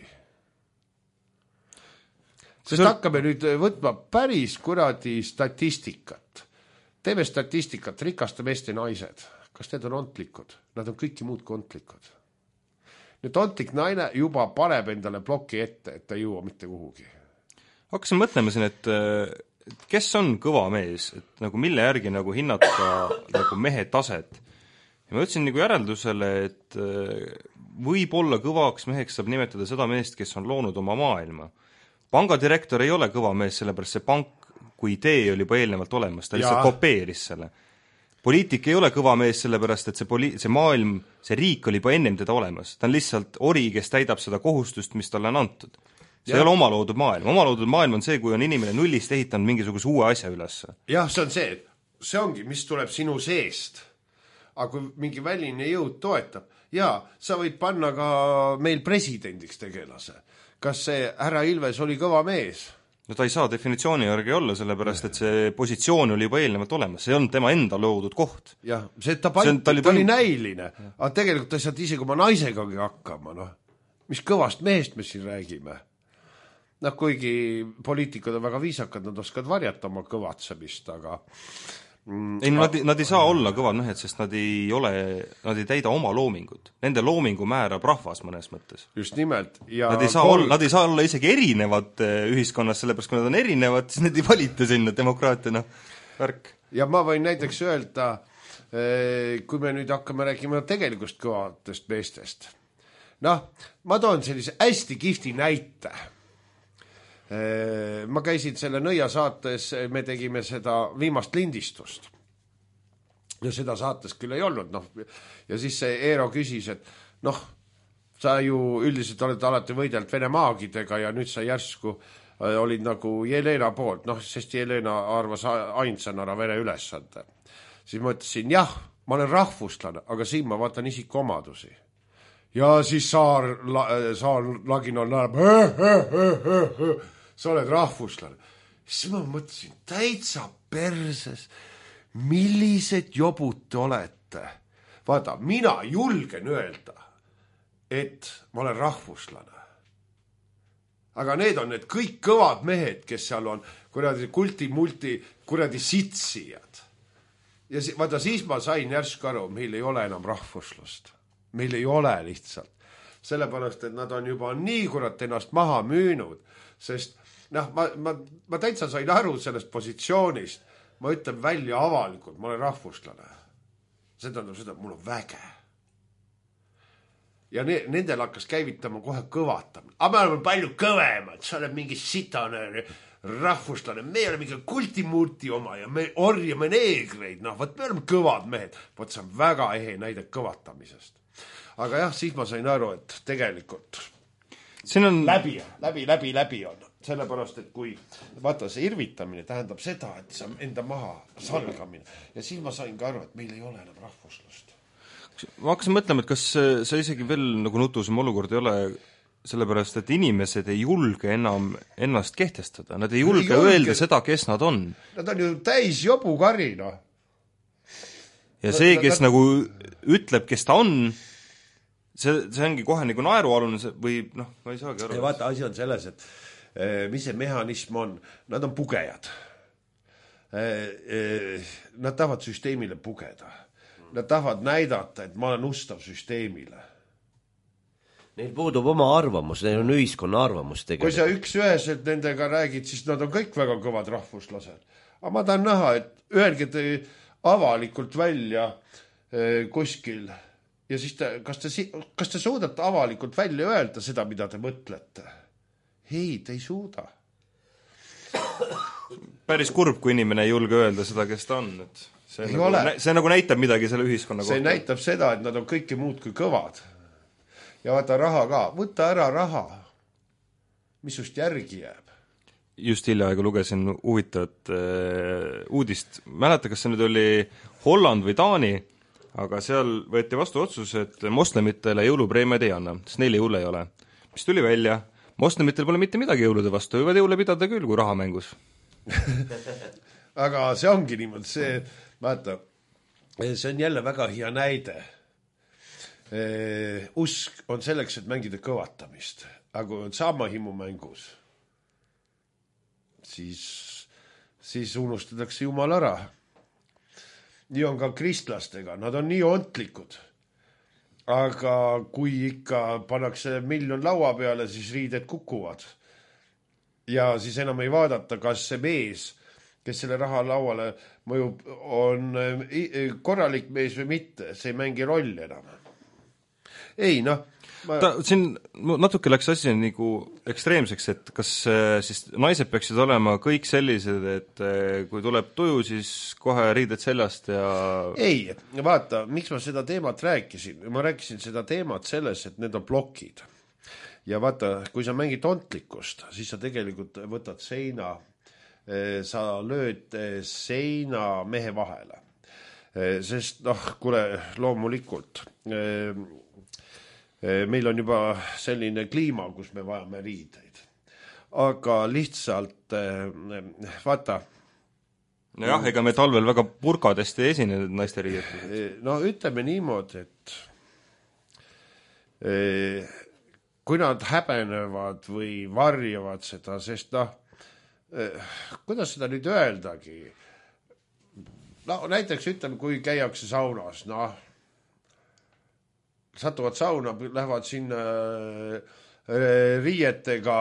Sest hakkame nüüd võtma päris kuradi statistikat. teeme statistikat, rikaste meeste naised, kas need on ontlikud? Nad on kõiki muud kui ontlikud. Nüüd ontlik naine juba paneb endale ploki ette, et ta ei jõua mitte kuhugi. Hakkasin mõtlema siin, et kes on kõva mees, et nagu mille järgi nagu hinnata nagu mehe taset. Ja ma ütlesin nagu järeldusele, et võib-olla kõvaks meheks saab nimetada seda meest, kes on loonud oma maailma. Pangadirektor ei ole kõva mees, sellepärast see pank kui idee oli juba eelnevalt olemas, ta lihtsalt kopeeris selle. Poliitik ei ole kõva mees, sellepärast et see maailm, see riik oli juba ennem teda olemas. Ta on lihtsalt ori, kes täidab seda kohustust, mis talle on antud. See ei ole omaloodud maailm. Omaloodud maailm on see, kui on inimene nullist ehitanud mingisuguse uue asja üles. Jah, see ongi, mis tuleb sinu seest. Aga kui mingi väline jõud toetab, sa võid panna ka meil presidendiks tegelase. Kas see härra Ilves oli kõva mees? No ta ei saa definitsiooni järgi olla, sellepärast et see positsioon oli juba eelnevalt olemas. See on tema enda loodud koht. Jah, ta oli näiline. Aga tegelikult ta saad isegi oma naisegagi hakkama. Mis kõvast mehest me siin räägime? Kuigi poliitikud on väga viisakad, nad oskavad varjata oma kõvatsemist, aga ei, nad ei saa olla kõvad mehed, sest nad ei täida oma loomingut. Nende loomingu määrab rahvas mõnes mõttes. Just nimelt. Ja nad ei saa olla isegi erinevad ühiskonnas, sellepärast kui nad on erinevad, siis need ei valita sinna demokraatia, värk. Ja ma võin näiteks öelda, kui me nüüd hakkame rääkima tegelikust kõvatest meestest. Ma toon sellise hästi kihvti näite. Ma käisin selle Nõia saates, me tegime seda viimast lindistust ja seda saates küll ei olnud, ja siis see Eero küsis, et sa ju üldiselt oled alati võidelt Vene maagidega ja nüüd sa järsku olid nagu Jelena poolt, sest Jelena arvas ainsana ära Vene ülesande. Siis ma ütlesin, ma olen rahvuslane, aga siin ma vaatan isikuomadusi. Ja siis Saar Laginal naerab, sa oled rahvuslane. Siis ma mõtlesin, täitsa perses, millised jobud te olete. Vaata, mina julgen öelda, et ma olen rahvuslane. Aga need on need kõik kõvad mehed, kes seal on, kulti-multi, sitsijad. Ja vaata, siis ma sain järsku aru, meil ei ole enam rahvuslust. Meil ei ole lihtsalt. Sellepärast, et nad on juba nii ennast maha müünud, sest ma täitsa sain aru sellest positsioonist. Ma ütlen välja avalikult, ma olen rahvuslane. See tähendab seda, et mul on väge. Ja nendel hakkas käivitama kohe kõvatamine. Aga me oleme palju kõvemad, sa oled mingi sitane rahvuslane, me oleme mingi kultimurti oma ja me orjame neegreid, me oleme kõvad mehed. Võt see on väga ehe näide kõvatamisest. Aga siis ma sain aru, et tegelikult on läbi on. Sellepärast, et kui vaata see irvitamine tähendab seda, et see on enda maha salgamine. Ja siis ma sain ka aru, et meil ei ole enam rahvuslust. Ma hakkasin mõtlema, et kas see isegi veel nagu nutusem olukord ei ole, sellepärast, et inimesed ei julge enam ennast kehtestada. Nad ei julge öelda seda, kes nad on. Nad on ju täis jobukari, Ja see, kes nagu ütleb, kes ta on, see ongi kohe nagu naerualune või ma ei saagi aru. Ja vaata, asi on selles, et mis see mehhanism on? Nad on pugejad. Nad tahavad süsteemile pugeda. Nad tahavad näidata, et ma olen ustav süsteemile. Neil puudub oma arvamus, neil on ühiskonna arvamus tegelikult. Kui sa üks-üheselt nendega räägid, siis nad on kõik väga kõvad rahvuslased. Aga ma tahan näha, et öelge te avalikult välja kuskil ja siis kas te suudate avalikult välja öelda seda, mida te mõtlete? Ei, te ei suuda. Päris kurb, kui inimene ei julge öelda seda, kes ta on. See nagu näitab midagi selle ühiskonna kohta. See näitab seda, et nad on kõike muud kui kõvad. Ja vaata raha ka. Võta ära raha. Mis sust järgi jääb? Just hiljaaegu lugesin huvitavat uudist. Mäleta, kas see nüüd oli Holland või Taani, aga seal võeti vastu otsus, et moslemitele jõulupreemiad ei anna, sest neil jõule ei ole. Mis tuli välja? Moslemitel pole mitte midagi jõulude vastu, võivad jõule pidada küll, kui raha mängus. Aga see ongi niimoodi, see on jälle väga hea näide. Usk on selleks, et mängida kõvatamist. Aga kui on sama himu mängus, siis unustatakse Jumal ära. nii on ka kristlastega, nad on nii ontlikud. Aga kui ikka pannakse 1 miljon laua peale, siis riided kukuvad. Ja siis enam ei vaadata, kas see mees, kes selle raha lauale mõjub, on korralik mees või mitte, see ei mängi rolli enam. Ei, siin natuke läks asi nagu ekstreemseks, et kas siis naised peaksid olema kõik sellised, et kui tuleb tuju, siis kohe riided seljast ja... Ei, vaata, miks ma seda teemat rääkisin? Ma rääkisin seda teemat selles, et need on plokid. Ja vaata, kui sa mängid ontlikkust, siis sa tegelikult võtad seina, sa lööd seina mehe vahele. Sest kuule, loomulikult... meil on juba selline kliima, kus me vajame riideid. Aga lihtsalt, vaata... Nojah, ega me talvel väga purkadest ei esine naiste riidetud. No ütleme niimoodi, et kui nad häbenevad või varjavad seda, sest kuidas seda nüüd öeldagi? Näiteks ütleme, kui käiakse saunas, satuvad sauna, lähevad sinna riietega,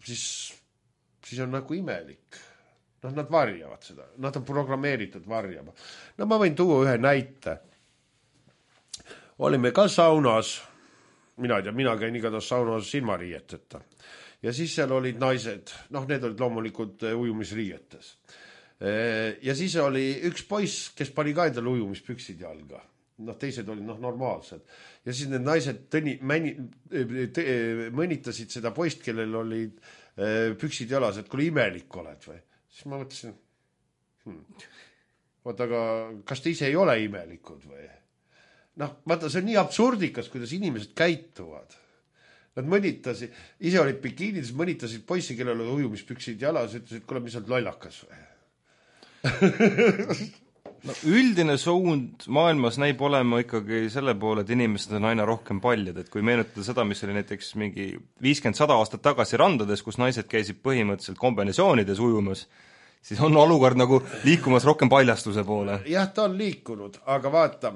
siis on nagu imelik. Nad varjavad seda. Nad on programmeeritud varjama. Ma võin tuua ühe näite. Olime ka saunas, mina käin igatahes saunas silmariieteta. Ja siis seal olid naised, need olid loomulikult ujumisriietes. Ja siis oli üks poiss, kes pani ka endale ujumispüksid jalga. Teised olid normaalsed. Ja siis need naised mõnitasid seda poist, kellel olid püksid jalas, et kui imelik oled või. Siis ma mõtlesin, vaata, aga kas te ise ei ole imelikud või? Vaata, see on nii absurdikas, kuidas inimesed käituvad. Nad mõnitasid, ise olid bikiinides, mõnitasid poissi, kellel oli ujumispüksid jalas, ütlesid, kuule, mis oled lollakas või? Üldine suund maailmas näib olema ikkagi selle poole, et inimesed on aina rohkem paljad, et kui meenutada seda, mis oli näiteks mingi 50-100 aastat tagasi randades, kus naised käisid põhimõtteliselt kombinatsioonides ujumas, siis on olukord nagu liikumas rohkem paljastuse poole. Jah, ta on liikunud, aga vaata,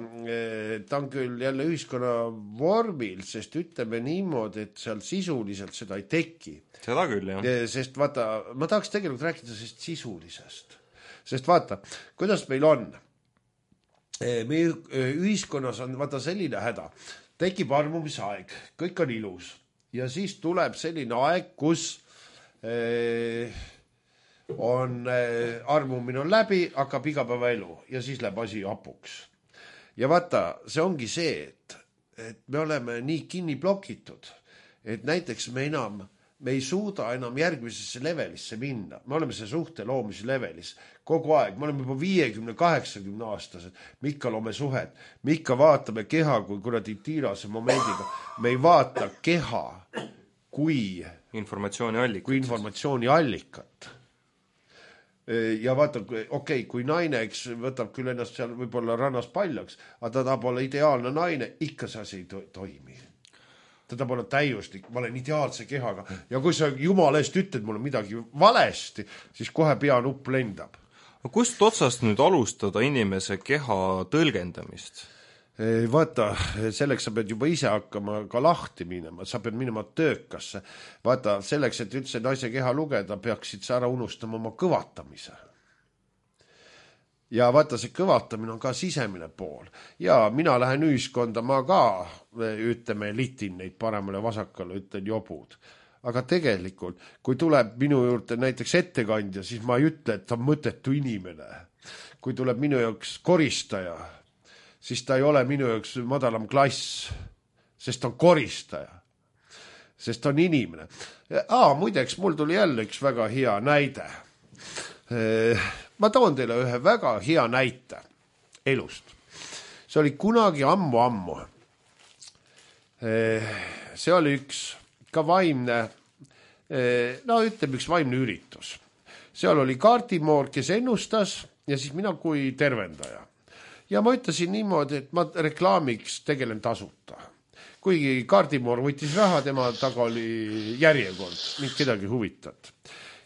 ta on küll jälle ühiskonna vormil, sest ütleme niimoodi, et seal sisuliselt seda ei teki. Seda küll, jah. Sest vaata, ma tahaks tegelikult rääkida sellest sisulisest. Sest vaata, kuidas meil on? Meie ühiskonnas on vaata selline häda. Tekib armumisaeg, kõik on ilus. Ja siis tuleb selline aeg, kus armumine on läbi, hakkab igapäevaelu ja siis läheb asi hapuks. Ja vaata, see ongi see, et me oleme nii kinni blokitud, et näiteks me ei suuda enam järgmisesse levelisse minna. Me oleme see suhte loomise levelis kogu aeg. Me oleme juba 50-80 aastased. Me ikka loome suhet. Me ikka vaatame keha kui kuradi tiirase momendiga. Me ei vaata keha kui informatsiooni allikat. Ja vaata, kui naine võtab küll ennast seal võib-olla rannas paljaks, aga ta tahab olla ideaalne naine, ikka see asi ei toimi. Ta pole täiuslik, ma olen ideaalse kehaga. Ja kui sa jumala eest ütled mulle midagi valesti, siis kohe peanupp lendab. Kust otsast nüüd alustada inimese keha tõlgendamist? Vaata, selleks sa pead juba ise hakkama ka lahti minema, sa pead minema töökasse. Vaata, selleks, et üldse naise keha lugeda, peaksid sa ära unustama oma kõvatamise. Ja vaata, see kõvatamine on ka sisemine pool. Ja mina lähen ühiskonda, ma ka, ütleme, litin neid paremale vasakale, ütlen jobud. Aga tegelikult, kui tuleb minu juurde näiteks ettekandja, siis ma ei ütle, et ta on mõttetu inimene. Kui tuleb minu jaoks koristaja, siis ta ei ole minu jaoks madalam klass, sest on koristaja. Sest on inimene. Muideks, mul tuli jälle üks väga hea näide. Ma toon teile ühe väga hea näite elust. See oli kunagi ammu. See oli üks ka vaimne, ütleme üks vaimne üritus. Seal oli kaardimoor, kes ennustas ja siis mina kui tervendaja. Ja ma ütlesin niimoodi, et ma reklaamiks tegelen tasuta. Kuigi kaardimoor võttis raha, tema taga oli järjekord, mind kedagi huvitat.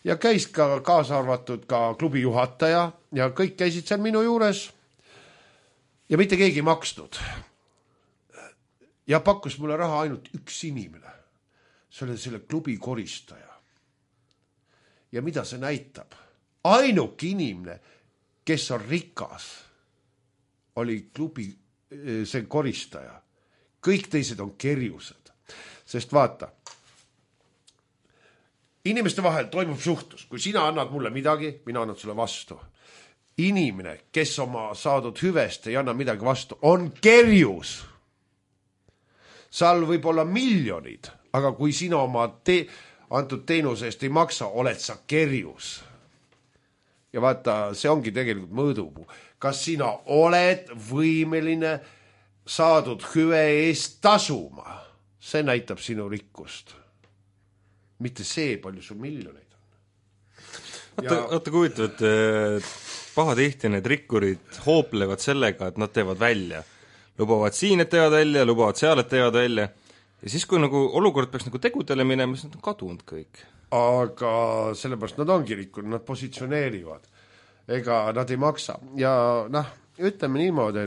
ja käis ka kaasa arvatud ka klubi juhataja ja kõik käisid seal minu juures ja mitte keegi ei maksnud. Ja pakkus mulle raha ainult üks inimene. See oli selle klubi koristaja. Ja mida see näitab? Ainuk inimene, kes on rikas, oli klubi see koristaja. Kõik teised on kerjused. Sest vaata, inimeste vahel toimub suhtlus. Kui sina annad mulle midagi, mina annan sulle vastu. Inimene, kes oma saadud hüvest ei anna midagi vastu, on kerjus. Seal võib olla miljonid, aga kui sina oma antud teenuse eest ei maksa, oled sa kerjus. Ja vaata, see ongi tegelikult mõõdupuu. Kas sina oled võimeline saadud hüve eest tasuma? See näitab sinu rikkust. Mitte see, palju sul miljoneid on. Oota kui pahatihti need rikkurid hooplevad sellega, et nad teevad välja. Lubavad siin, et teevad välja, lubavad seal, et teevad välja. Ja siis, kui nagu olukord peaks nagu tegudele minema, siis nad on kadunud kõik. Aga sellepärast nad ongi rikkunud, nad positsioneerivad. Ega nad ei maksa. Ja ütleme niimoodi,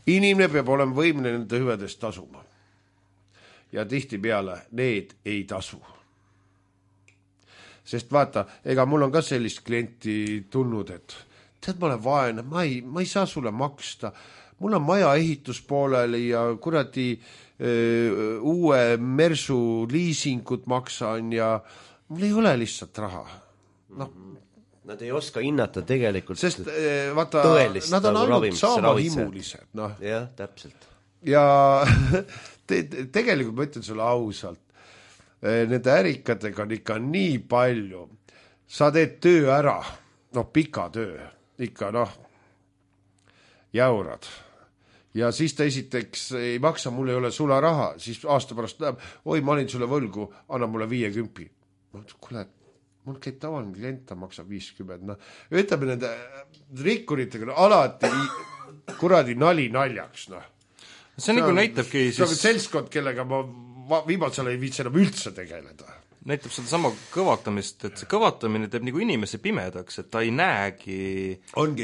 inimene peab olema võimeline nende hüvedest tasuma. Ja tihti peale need ei tasu. Sest vaata, ega mul on ka sellist klienti tulnud, et tead, ma olen vaene, ma ei saa sulle maksta. Mul on maja ehitus pooleli ja kuradi uue Mersu liisingut maksan ja mul ei ole lihtsalt raha. Nad ei oska hinnata tegelikult sest vaata, tõelist nad on nagu ainult saamahimulised. Jah, täpselt. Ja tegelikult ma ütlen sulle ausalt, nende ärikatega on ikka nii palju. Sa teed töö ära, pika töö, ikka jäurad. Ja siis ta esiteks ei maksa, mul ei ole sulle raha, siis aasta pärast näeb, oi, ma olin sulle võlgu, anna mulle 50. Kuule, mul käib tavaline klient, ta maksab 50. Ütleme nende rikkuritega alati kuradi nali naljaks. See nagu näitabki siis... See on selskond, kellega ma viimasel ei viitsi enam üldse tegeleda. Näitab seda sama kõvatamist, et see kõvatamine teeb nagu inimese pimedaks, et ta ei näegi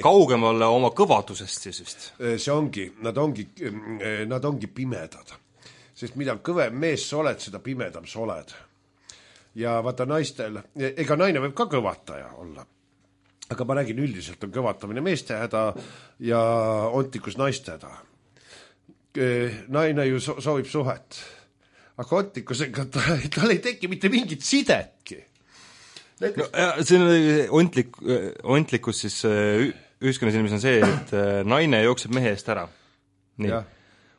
kaugemale oma kõvatusest siis vist. See ongi, nad ongi pimedad. Sest mida kõvem mees sa oled, seda pimedam sa oled. Ja vaata naistel, ega naine võib ka kõvataja olla. Aga ma räägin üldiselt on kõvatamine meeste häda ja ontikus naiste häda. Naine ju soovib suhet. Aga ontikusega tal ei teki mitte mingit sidetki. See on ontlikkus siis ühiskonnas inimesel on see, et naine jookseb mehe eest ära. Nii.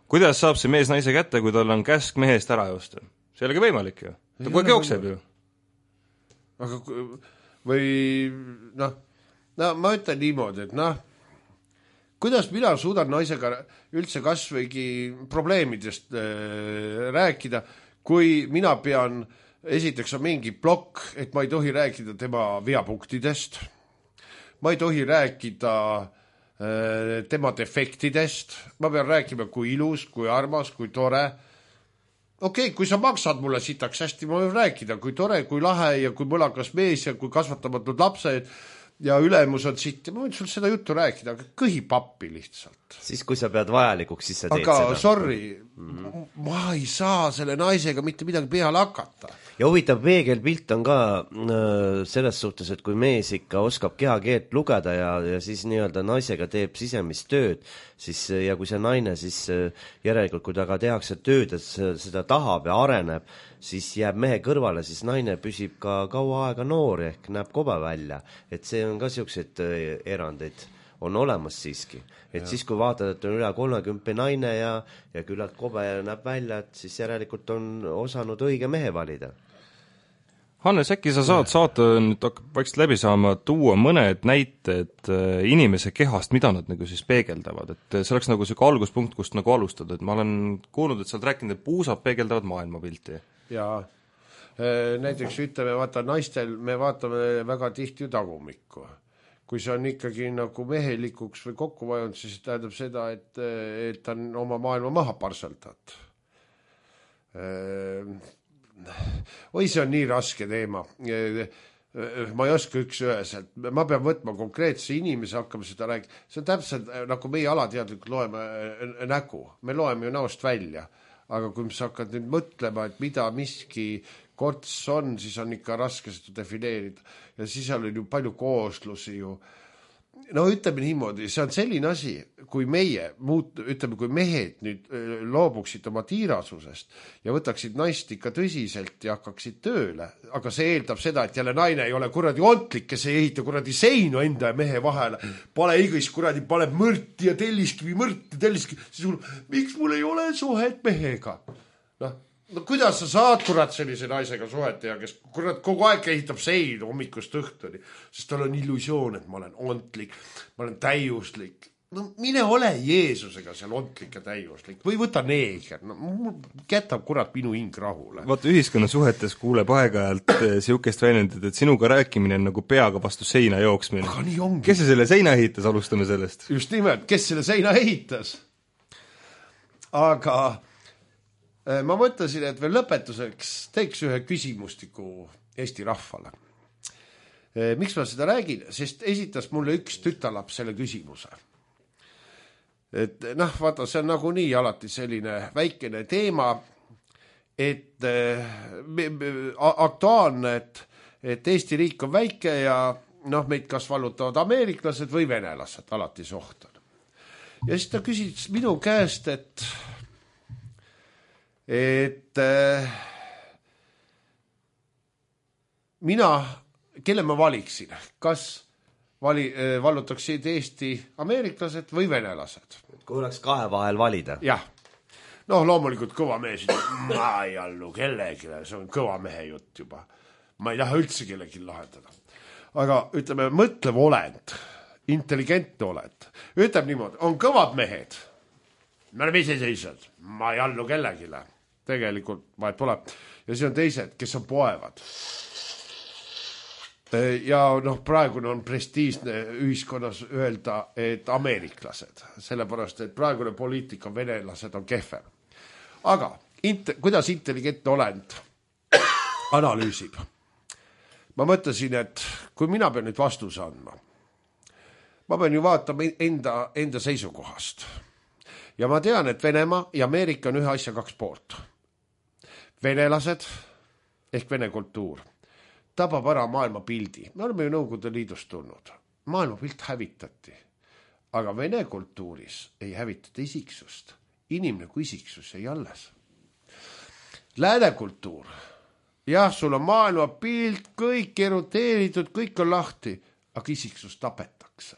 Kuidas saab see mees naise kätte, kui tal on käsk mehe eest ära joosta? See ei olegi võimalik ju. Ta kogu aeg jookseb ju. Aga või ma ütlen niimoodi, et kuidas mina suudan naisega üldse kasvõigi probleemidest rääkida, kui mina pean, esiteks on mingi plokk, et ma ei tohi rääkida tema veapunktidest, ma ei tohi rääkida tema defektidest, ma pean rääkima, kui ilus, kui armas, kui tore. Okei, kui sa maksad mulle sitaks hästi, ma võin rääkida, kui tore, kui lahe ja kui mõlakas mees ja kui kasvatamatud lapsed ja ülemus on sitt ja ma võin sul seda juttu rääkida, aga kõhi pappi lihtsalt. Siis kui sa pead vajalikuks, siis sa teed seda. Aga sorry, ma ei saa selle naisega mitte midagi peale hakata. Ja huvitav peegelpilt on ka selles suhtes, et kui mees ikka oskab kehakeelt lugeda ja siis nii-öelda naisega teeb sisemist tööd, siis, ja kui see naine siis järelikult, kui ta ka tehakse tööd, et seda tahab ja areneb, siis jääb mehe kõrvale, siis naine püsib ka kaua aega noor ehk näeb kobe välja. Et see on ka siukseid erandeid on olemas siiski. Et ja. Siis kui vaatad, et on üle 30 naine ja küllalt kobe näeb välja, et siis järelikult on osanud õige mehe valida. Hannes, äkki sa saad saata, nüüd hakkab vaikselt läbi saama, tuua mõned näited inimese kehast, mida nad nagu siis peegeldavad, et see oleks nagu selline alguspunkt, kust nagu alustada, et ma olen kuulnud, et sa oled rääkinud, et puusad peegeldavad maailmapilti. Jaa, näiteks ütleme, vaata naistel me vaatame väga tihti ju tagumikku. kui see on ikkagi nagu mehelikuks või kokku vajunud, siis tähendab seda, et ta on oma maailma maha parseldanud. Oi, see on nii raske teema. Ma ei oska üks-üheselt. Ma pean võtma konkreetse inimese, hakkame seda rääkima. See on täpselt nagu meie alateadlikult loeme nägu. Me loeme ju näost välja. Aga kui sa hakkad nüüd mõtlema, et mida miski korts on, siis on ikka raske seda defineerida. Ja siis on ju palju kooslusi ju. No ütleme niimoodi, see on selline asi, kui kui mehed nüüd loobuksid oma tiirasusest ja võtaksid naist ikka tõsiselt ja hakkaksid tööle, aga see eeldab seda, et jälle naine ei ole kuradi ontlik, kes ei ehita kuradi seinu enda ja mehe vahele, pane igis kuradi, paneb mõrti ja telliskivi, siis miks mul ei ole suhet mehega? No kuidas sa saad kurat sellise naisega suhet teha, kes kurat kogu aeg ehitab seinu hommikust õhtuni, sest tal on illusioon, et ma olen ontlik, ma olen täiuslik. No mine ole Jeesusega seal ontlik ja täiuslik või võta neeger, no jätab kurat minu hing rahule. Vaata, ühiskonna suhetes kuuleb aeg-ajalt siukest väljendit, et sinuga rääkimine on nagu peaga vastu seina jooksmine. Aga nii ongi. Kes selle seina ehitas, alustame sellest? Just nimelt, kes selle seina ehitas? Aga ma mõtlesin, et veel lõpetuseks teeks ühe küsimustiku Eesti rahvale. Miks ma seda räägin? Sest esitas mulle üks tütarlaps selle küsimuse. Et vaata, see on nagu nii alati selline väikene teema, et aktuaalne, et Eesti riik on väike ja meid kas vallutavad ameeriklased või venelased, alati soht on. Ja siis ta küsis minu käest, et mina, kelle ma valiksin, kas vallutaksid Eesti ameeriklased või venelased? Kui oleks kahe vahel valida? Jah. Loomulikult kõva mees, ma ei allu kellegi, see on kõva mehe jutt juba. Ma ei taha üldse kellegi lahendada. Aga ütleme, mõtlev olend, intelligentne olend. Ütleme niimoodi, on kõvad mehed. Me oleme iseseisvad, ma ei allu kellegile. Tegelikult vahet pole. Ja siis on teised, kes on poevad. Ja praegune on prestiisne ühiskonnas öelda, et ameeriklased. Sellepärast, et praegune poliitika venelased on kehvem. Aga kuidas intelligentne olend analüüsib? Ma mõtlesin, et kui mina pean nüüd vastuse andma, ma pean ju vaatama enda seisukohast. Ja ma tean, et Venemaa ja Ameerika on ühe asja kaks poolt. Venelased ehk vene kultuur tabab ära maailma pildi. Me oleme ju Nõukogude Liidust tulnud. Maailma pilt hävitati. Aga vene kultuuris ei hävitata isiksust. Inimene kui isiksus ei alles. Lääne kultuur. Jah, sul on maailma pilt, kõik eroteeritud, kõik on lahti, aga isiksus tapetakse.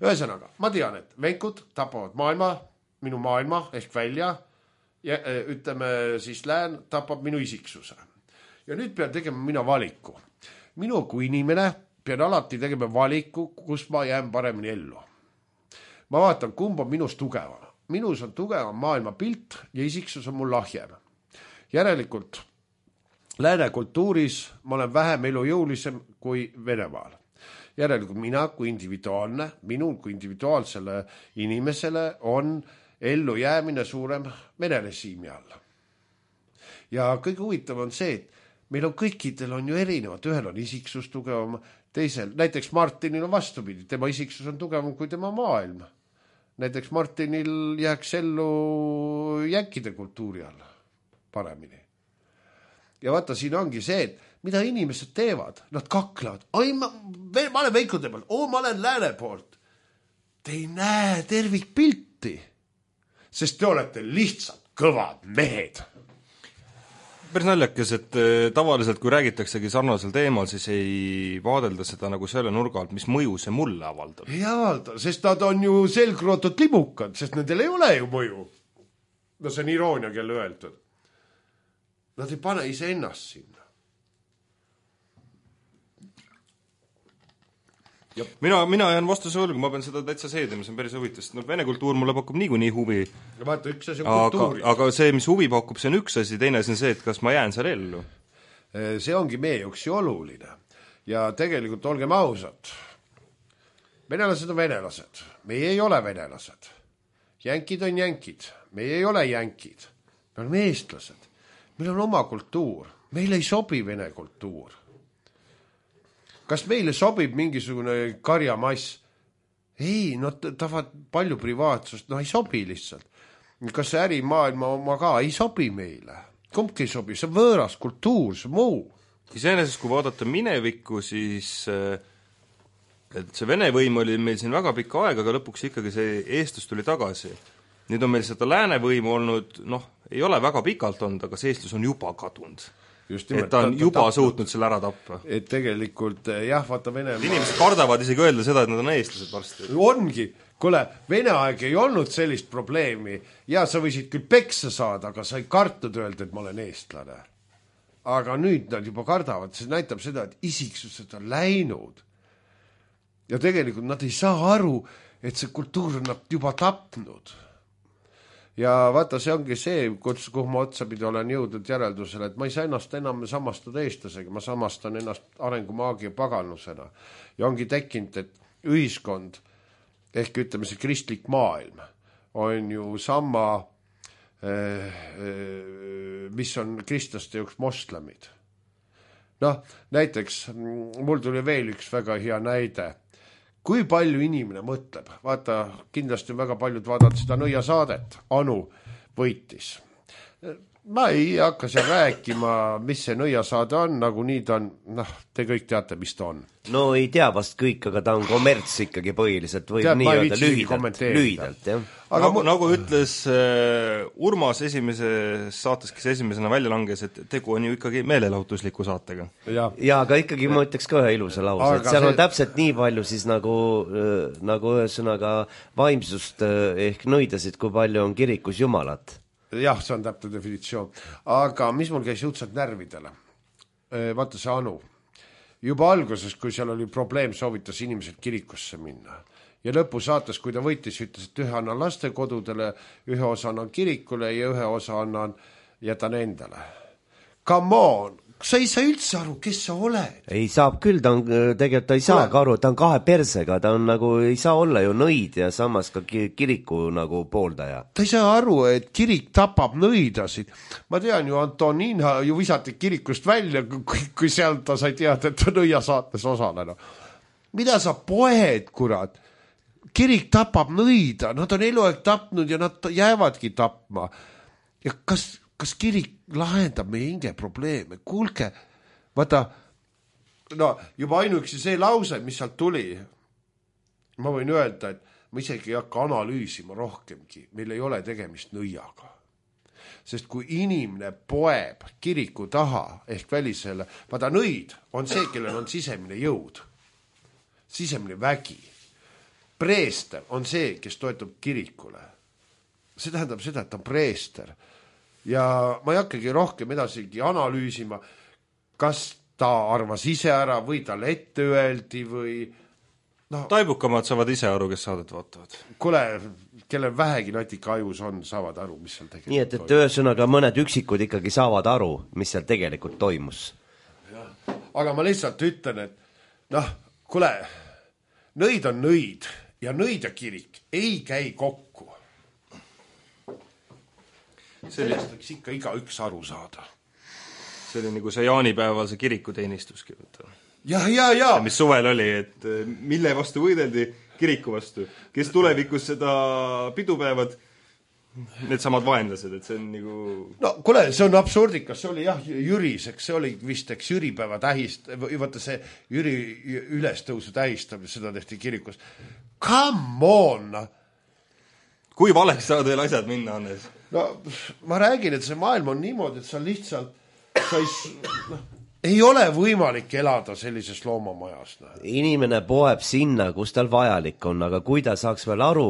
Ühesõnaga, ma tean, et venkud tapavad minu maailma ehk välja ja ütleme siis lään tapab minu isiksuse. Ja nüüd pean tegema mina valiku. Minu kui inimene pean alati tegema valiku, kus ma jään paremini ellu. Ma vaatan, kumb on minust tugevam. Minus on tugevam maailma pilt ja isiksus on mul lahjem. Järelikult lääne kultuuris ma olen vähem elujõulisem kui Venemaal. Järelikult mina kui individuaalne, minul kui individuaalsele inimesele on ellu jäämine suurem Vene režiimi all. Ja kõige huvitav on see, et meil on kõikidel on ju erinevad, ühel on isiksus tugevam, teisel, näiteks Martinil on vastupidi, tema isiksus on tugevam kui tema maailm. Näiteks Martinil jääks ellu jänkide kultuuri all paremini. Ja vaata, siin ongi see, et mida inimesed teevad, nad kaklevad. Ma olen veikude peal, ma olen lääne poolt. Te ei näe tervikpilti, sest te olete lihtsalt kõvad mehed. Päris naljakas, et tavaliselt kui räägitaksegi sarnasel teemal, siis ei vaadelda seda nagu selle nurga alt, mis mõju see mulle avaldab. Ei avalda, sest nad on ju selgrootud libukad, sest nendel ei ole ju mõju. No see on iroonia kelle öeldud. Nad ei pane ise ennast sinna. Mina jään vastuse võlgu, ma pean seda täitsa seedima, see on päris huvitav, sest vene kultuur mulle pakub niikuinii huvi. Vaata, üks asi on kultuuri. Aga see, mis huvi pakub, see on üks asi, teine asi on see, et kas ma jään seal ellu. See ongi meie jaoks ju oluline. Ja tegelikult olgem ausad, venelased on venelased, meie ei ole venelased. Jänkid on jänkid, meie ei ole jänkid. Me oleme eestlased, meil on oma kultuur, meile ei sobi vene kultuur. Kas meile sobib mingisugune karjamass? Ei, no tahavad palju privaatsust, no ei sobi lihtsalt. Kas see ärimaailma oma ka ei sobi meile? Kumbki ei sobi, see on võõras kultuur, see muu. Iseenesest, kui vaadata minevikku, siis et see Vene võim oli meil siin väga pikka aega, aga lõpuks ikkagi see eestlus tuli tagasi. Nüüd on meil seda lääne võimu olnud, ei ole väga pikalt olnud, aga see eestlus on juba kadunud. Et ta on juba suutnud selle ära tappa. Et tegelikult, jah, vaata Venemaa... Inimesed kardavad isegi öelda seda, et nad on eestlased varsti. Ongi. Kuule, Vene aeg ei olnud sellist probleemi. Ja sa võisid küll peksa saada, aga sa ei kartnud öelda, et ma olen eestlane. Aga nüüd nad juba kardavad. See näitab seda, et isiksused on läinud. Ja tegelikult nad ei saa aru, et see kultuur on nad juba tapnud. Ja vaata, see ongi see, kuhu ma otsapidi olen jõudnud järeldusele, et ma ei saa ennast enam samastada eestlasega, ma samastan ennast arengumaagia paganusena. Ja ongi tekkinud, et ühiskond, ehk ütleme see kristlik maailm, on ju sama, mis on kristlaste jaoks moslemid. Näiteks, mul tuli veel üks väga hea näide. Kui palju inimene mõtleb? Vaata, kindlasti väga paljud vaadavad seda nõiasaadet. Anu võitis. Ma ei hakka seal rääkima, mis see nõiasaade on, nagu nii ta on, te kõik teate, mis ta on. No ei tea vast kõik, aga ta on kommerts ikkagi põhiliselt, võib nii öelda lühidalt. Aga nagu ütles Urmas esimeses saates, kes esimesena välja langes, et tegu on ju ikkagi meelelahutusliku saatega. Ja, aga ikkagi ma ütleks ka ühe ilusa lause, et seal on täpselt nii palju siis nagu ühesõnaga vaimsust ehk nõidasid, kui palju on kirikus jumalat. Jah, see on täpne definitsioon. Aga mis mul käis jõudsalt närvidele? Vaata see Anu. Juba alguses, kui seal oli probleem, soovitas inimesed kirikusse minna. Ja lõpu saates, kui ta võitis, ütles, et ühe annan lastekodudele, ühe osa annan kirikule ja ühe osa jätan endale. Come on! Sa ei saa üldse aru, kes sa oled. Ei saab küll, tegelikult ta ei saagi aru, ta on kahe persega, ta on nagu, ei saa olla ju nõid ja samas ka kiriku nagu pooldaja. Ta ei saa aru, et kirik tapab nõidasid. Ma tean ju, Antonina ju visati kirikust välja, kui seal ta sai teada, et ta nõia saates osalena. Mida sa poed, kurat? Kirik tapab nõida, nad on eluaeg tapnud ja nad jäävadki tapma. Ja kas kirik lahendab meie hinge probleeme? Kuulge, vaata, juba ainuüksi see lause, mis sealt tuli, ma võin öelda, et ma isegi ei hakka analüüsima rohkemgi, meil ei ole tegemist nõiaga. Sest kui inimene poeb kiriku taha ehk välisele, vaata nõid on see, kellel on sisemine jõud, sisemine vägi. Preester on see, kes toetub kirikule. See tähendab seda, et ta on preester. Ja ma ei hakkagi rohkem edasigi analüüsima, kas ta arvas ise ära või tal ette öeldi või... Taibukamad saavad ise aru, kes saadet vaatavad. Kuule, kellel vähegi natika ajus on, saavad aru, mis seal tegelikult nii, et ühesõnaga mõned üksikud ikkagi saavad aru, mis seal tegelikult toimus. Ja. Aga ma lihtsalt ütlen, et kuule, nõid on nõid ja nõid ja kirik ei käi kokku. Sellest võiks ikka igaüks aru saada. See oli nagu see jaanipäeval see kirikuteenistus. Ja. Mis suvel oli, et mille vastu võideldi kiriku vastu. Kes tulevikus seda pidupäevad, need samad vaenlased, et see on nagu... No kuule, see on absurdikas, see oli jah Jüriseks, see oli vist Jüripäeva vaata see Jüri ülestõusu tähistamine, seda tehti kirikus. Come on! Kui valeks saad veel asjad minna, Hannes? No ma räägin, et see maailm on niimoodi, et sa lihtsalt ei ole võimalik elada sellises loomamajas. Inimene poeb sinna, kus tal vajalik on, aga kui ta saaks veel aru,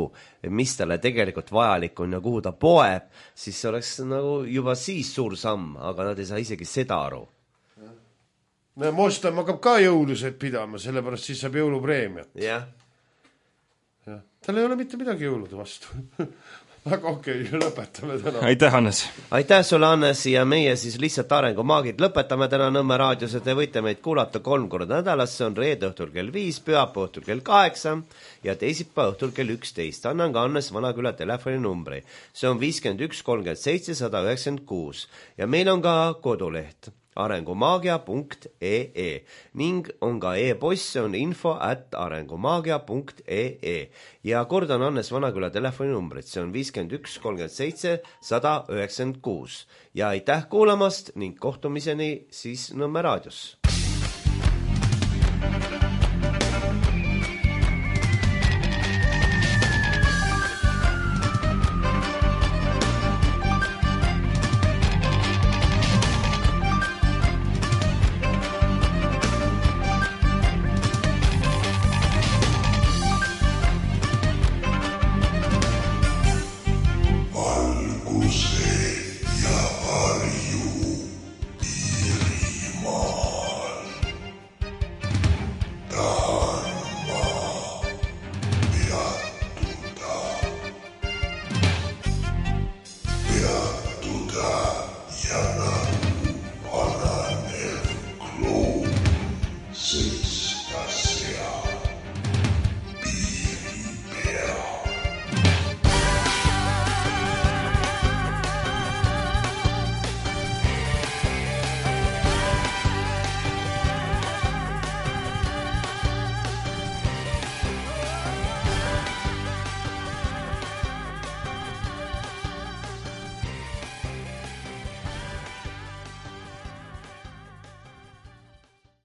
mis talle tegelikult vajalik on ja kuhu ta poeb, siis see oleks nagu juba siis suur samm, aga nad ei saa isegi seda aru. Mostam hakkab ka jõulused pidama, sellepärast siis saab jõulupreemiat. Jah. Tal ei ole mitte midagi jõulude vastu. Aga okei, lõpetame täna. Aitäh, Hannes! Aitäh sulle, Hannes, ja meie siis lihtsalt arengumaagid lõpetame täna Nõmme raadios, et te võite meid kuulata 3 korda nädalas, see on reede õhtul kell 5, pühapäeva õhtul kell 8 ja teisipäeva õhtul kell 11. Annan ka Hannes Vanaküla telefoninumbri. See on 51 37 196 ja meil on ka koduleht arengumaagia.ee ning on ka e-post, see on info@arengumaagia.ee ja kordan Hannes Vanaküla telefoninumbrit, see on 51 37 196 ja aitäh kuulamast ning kohtumiseni siis Nõmme raadios.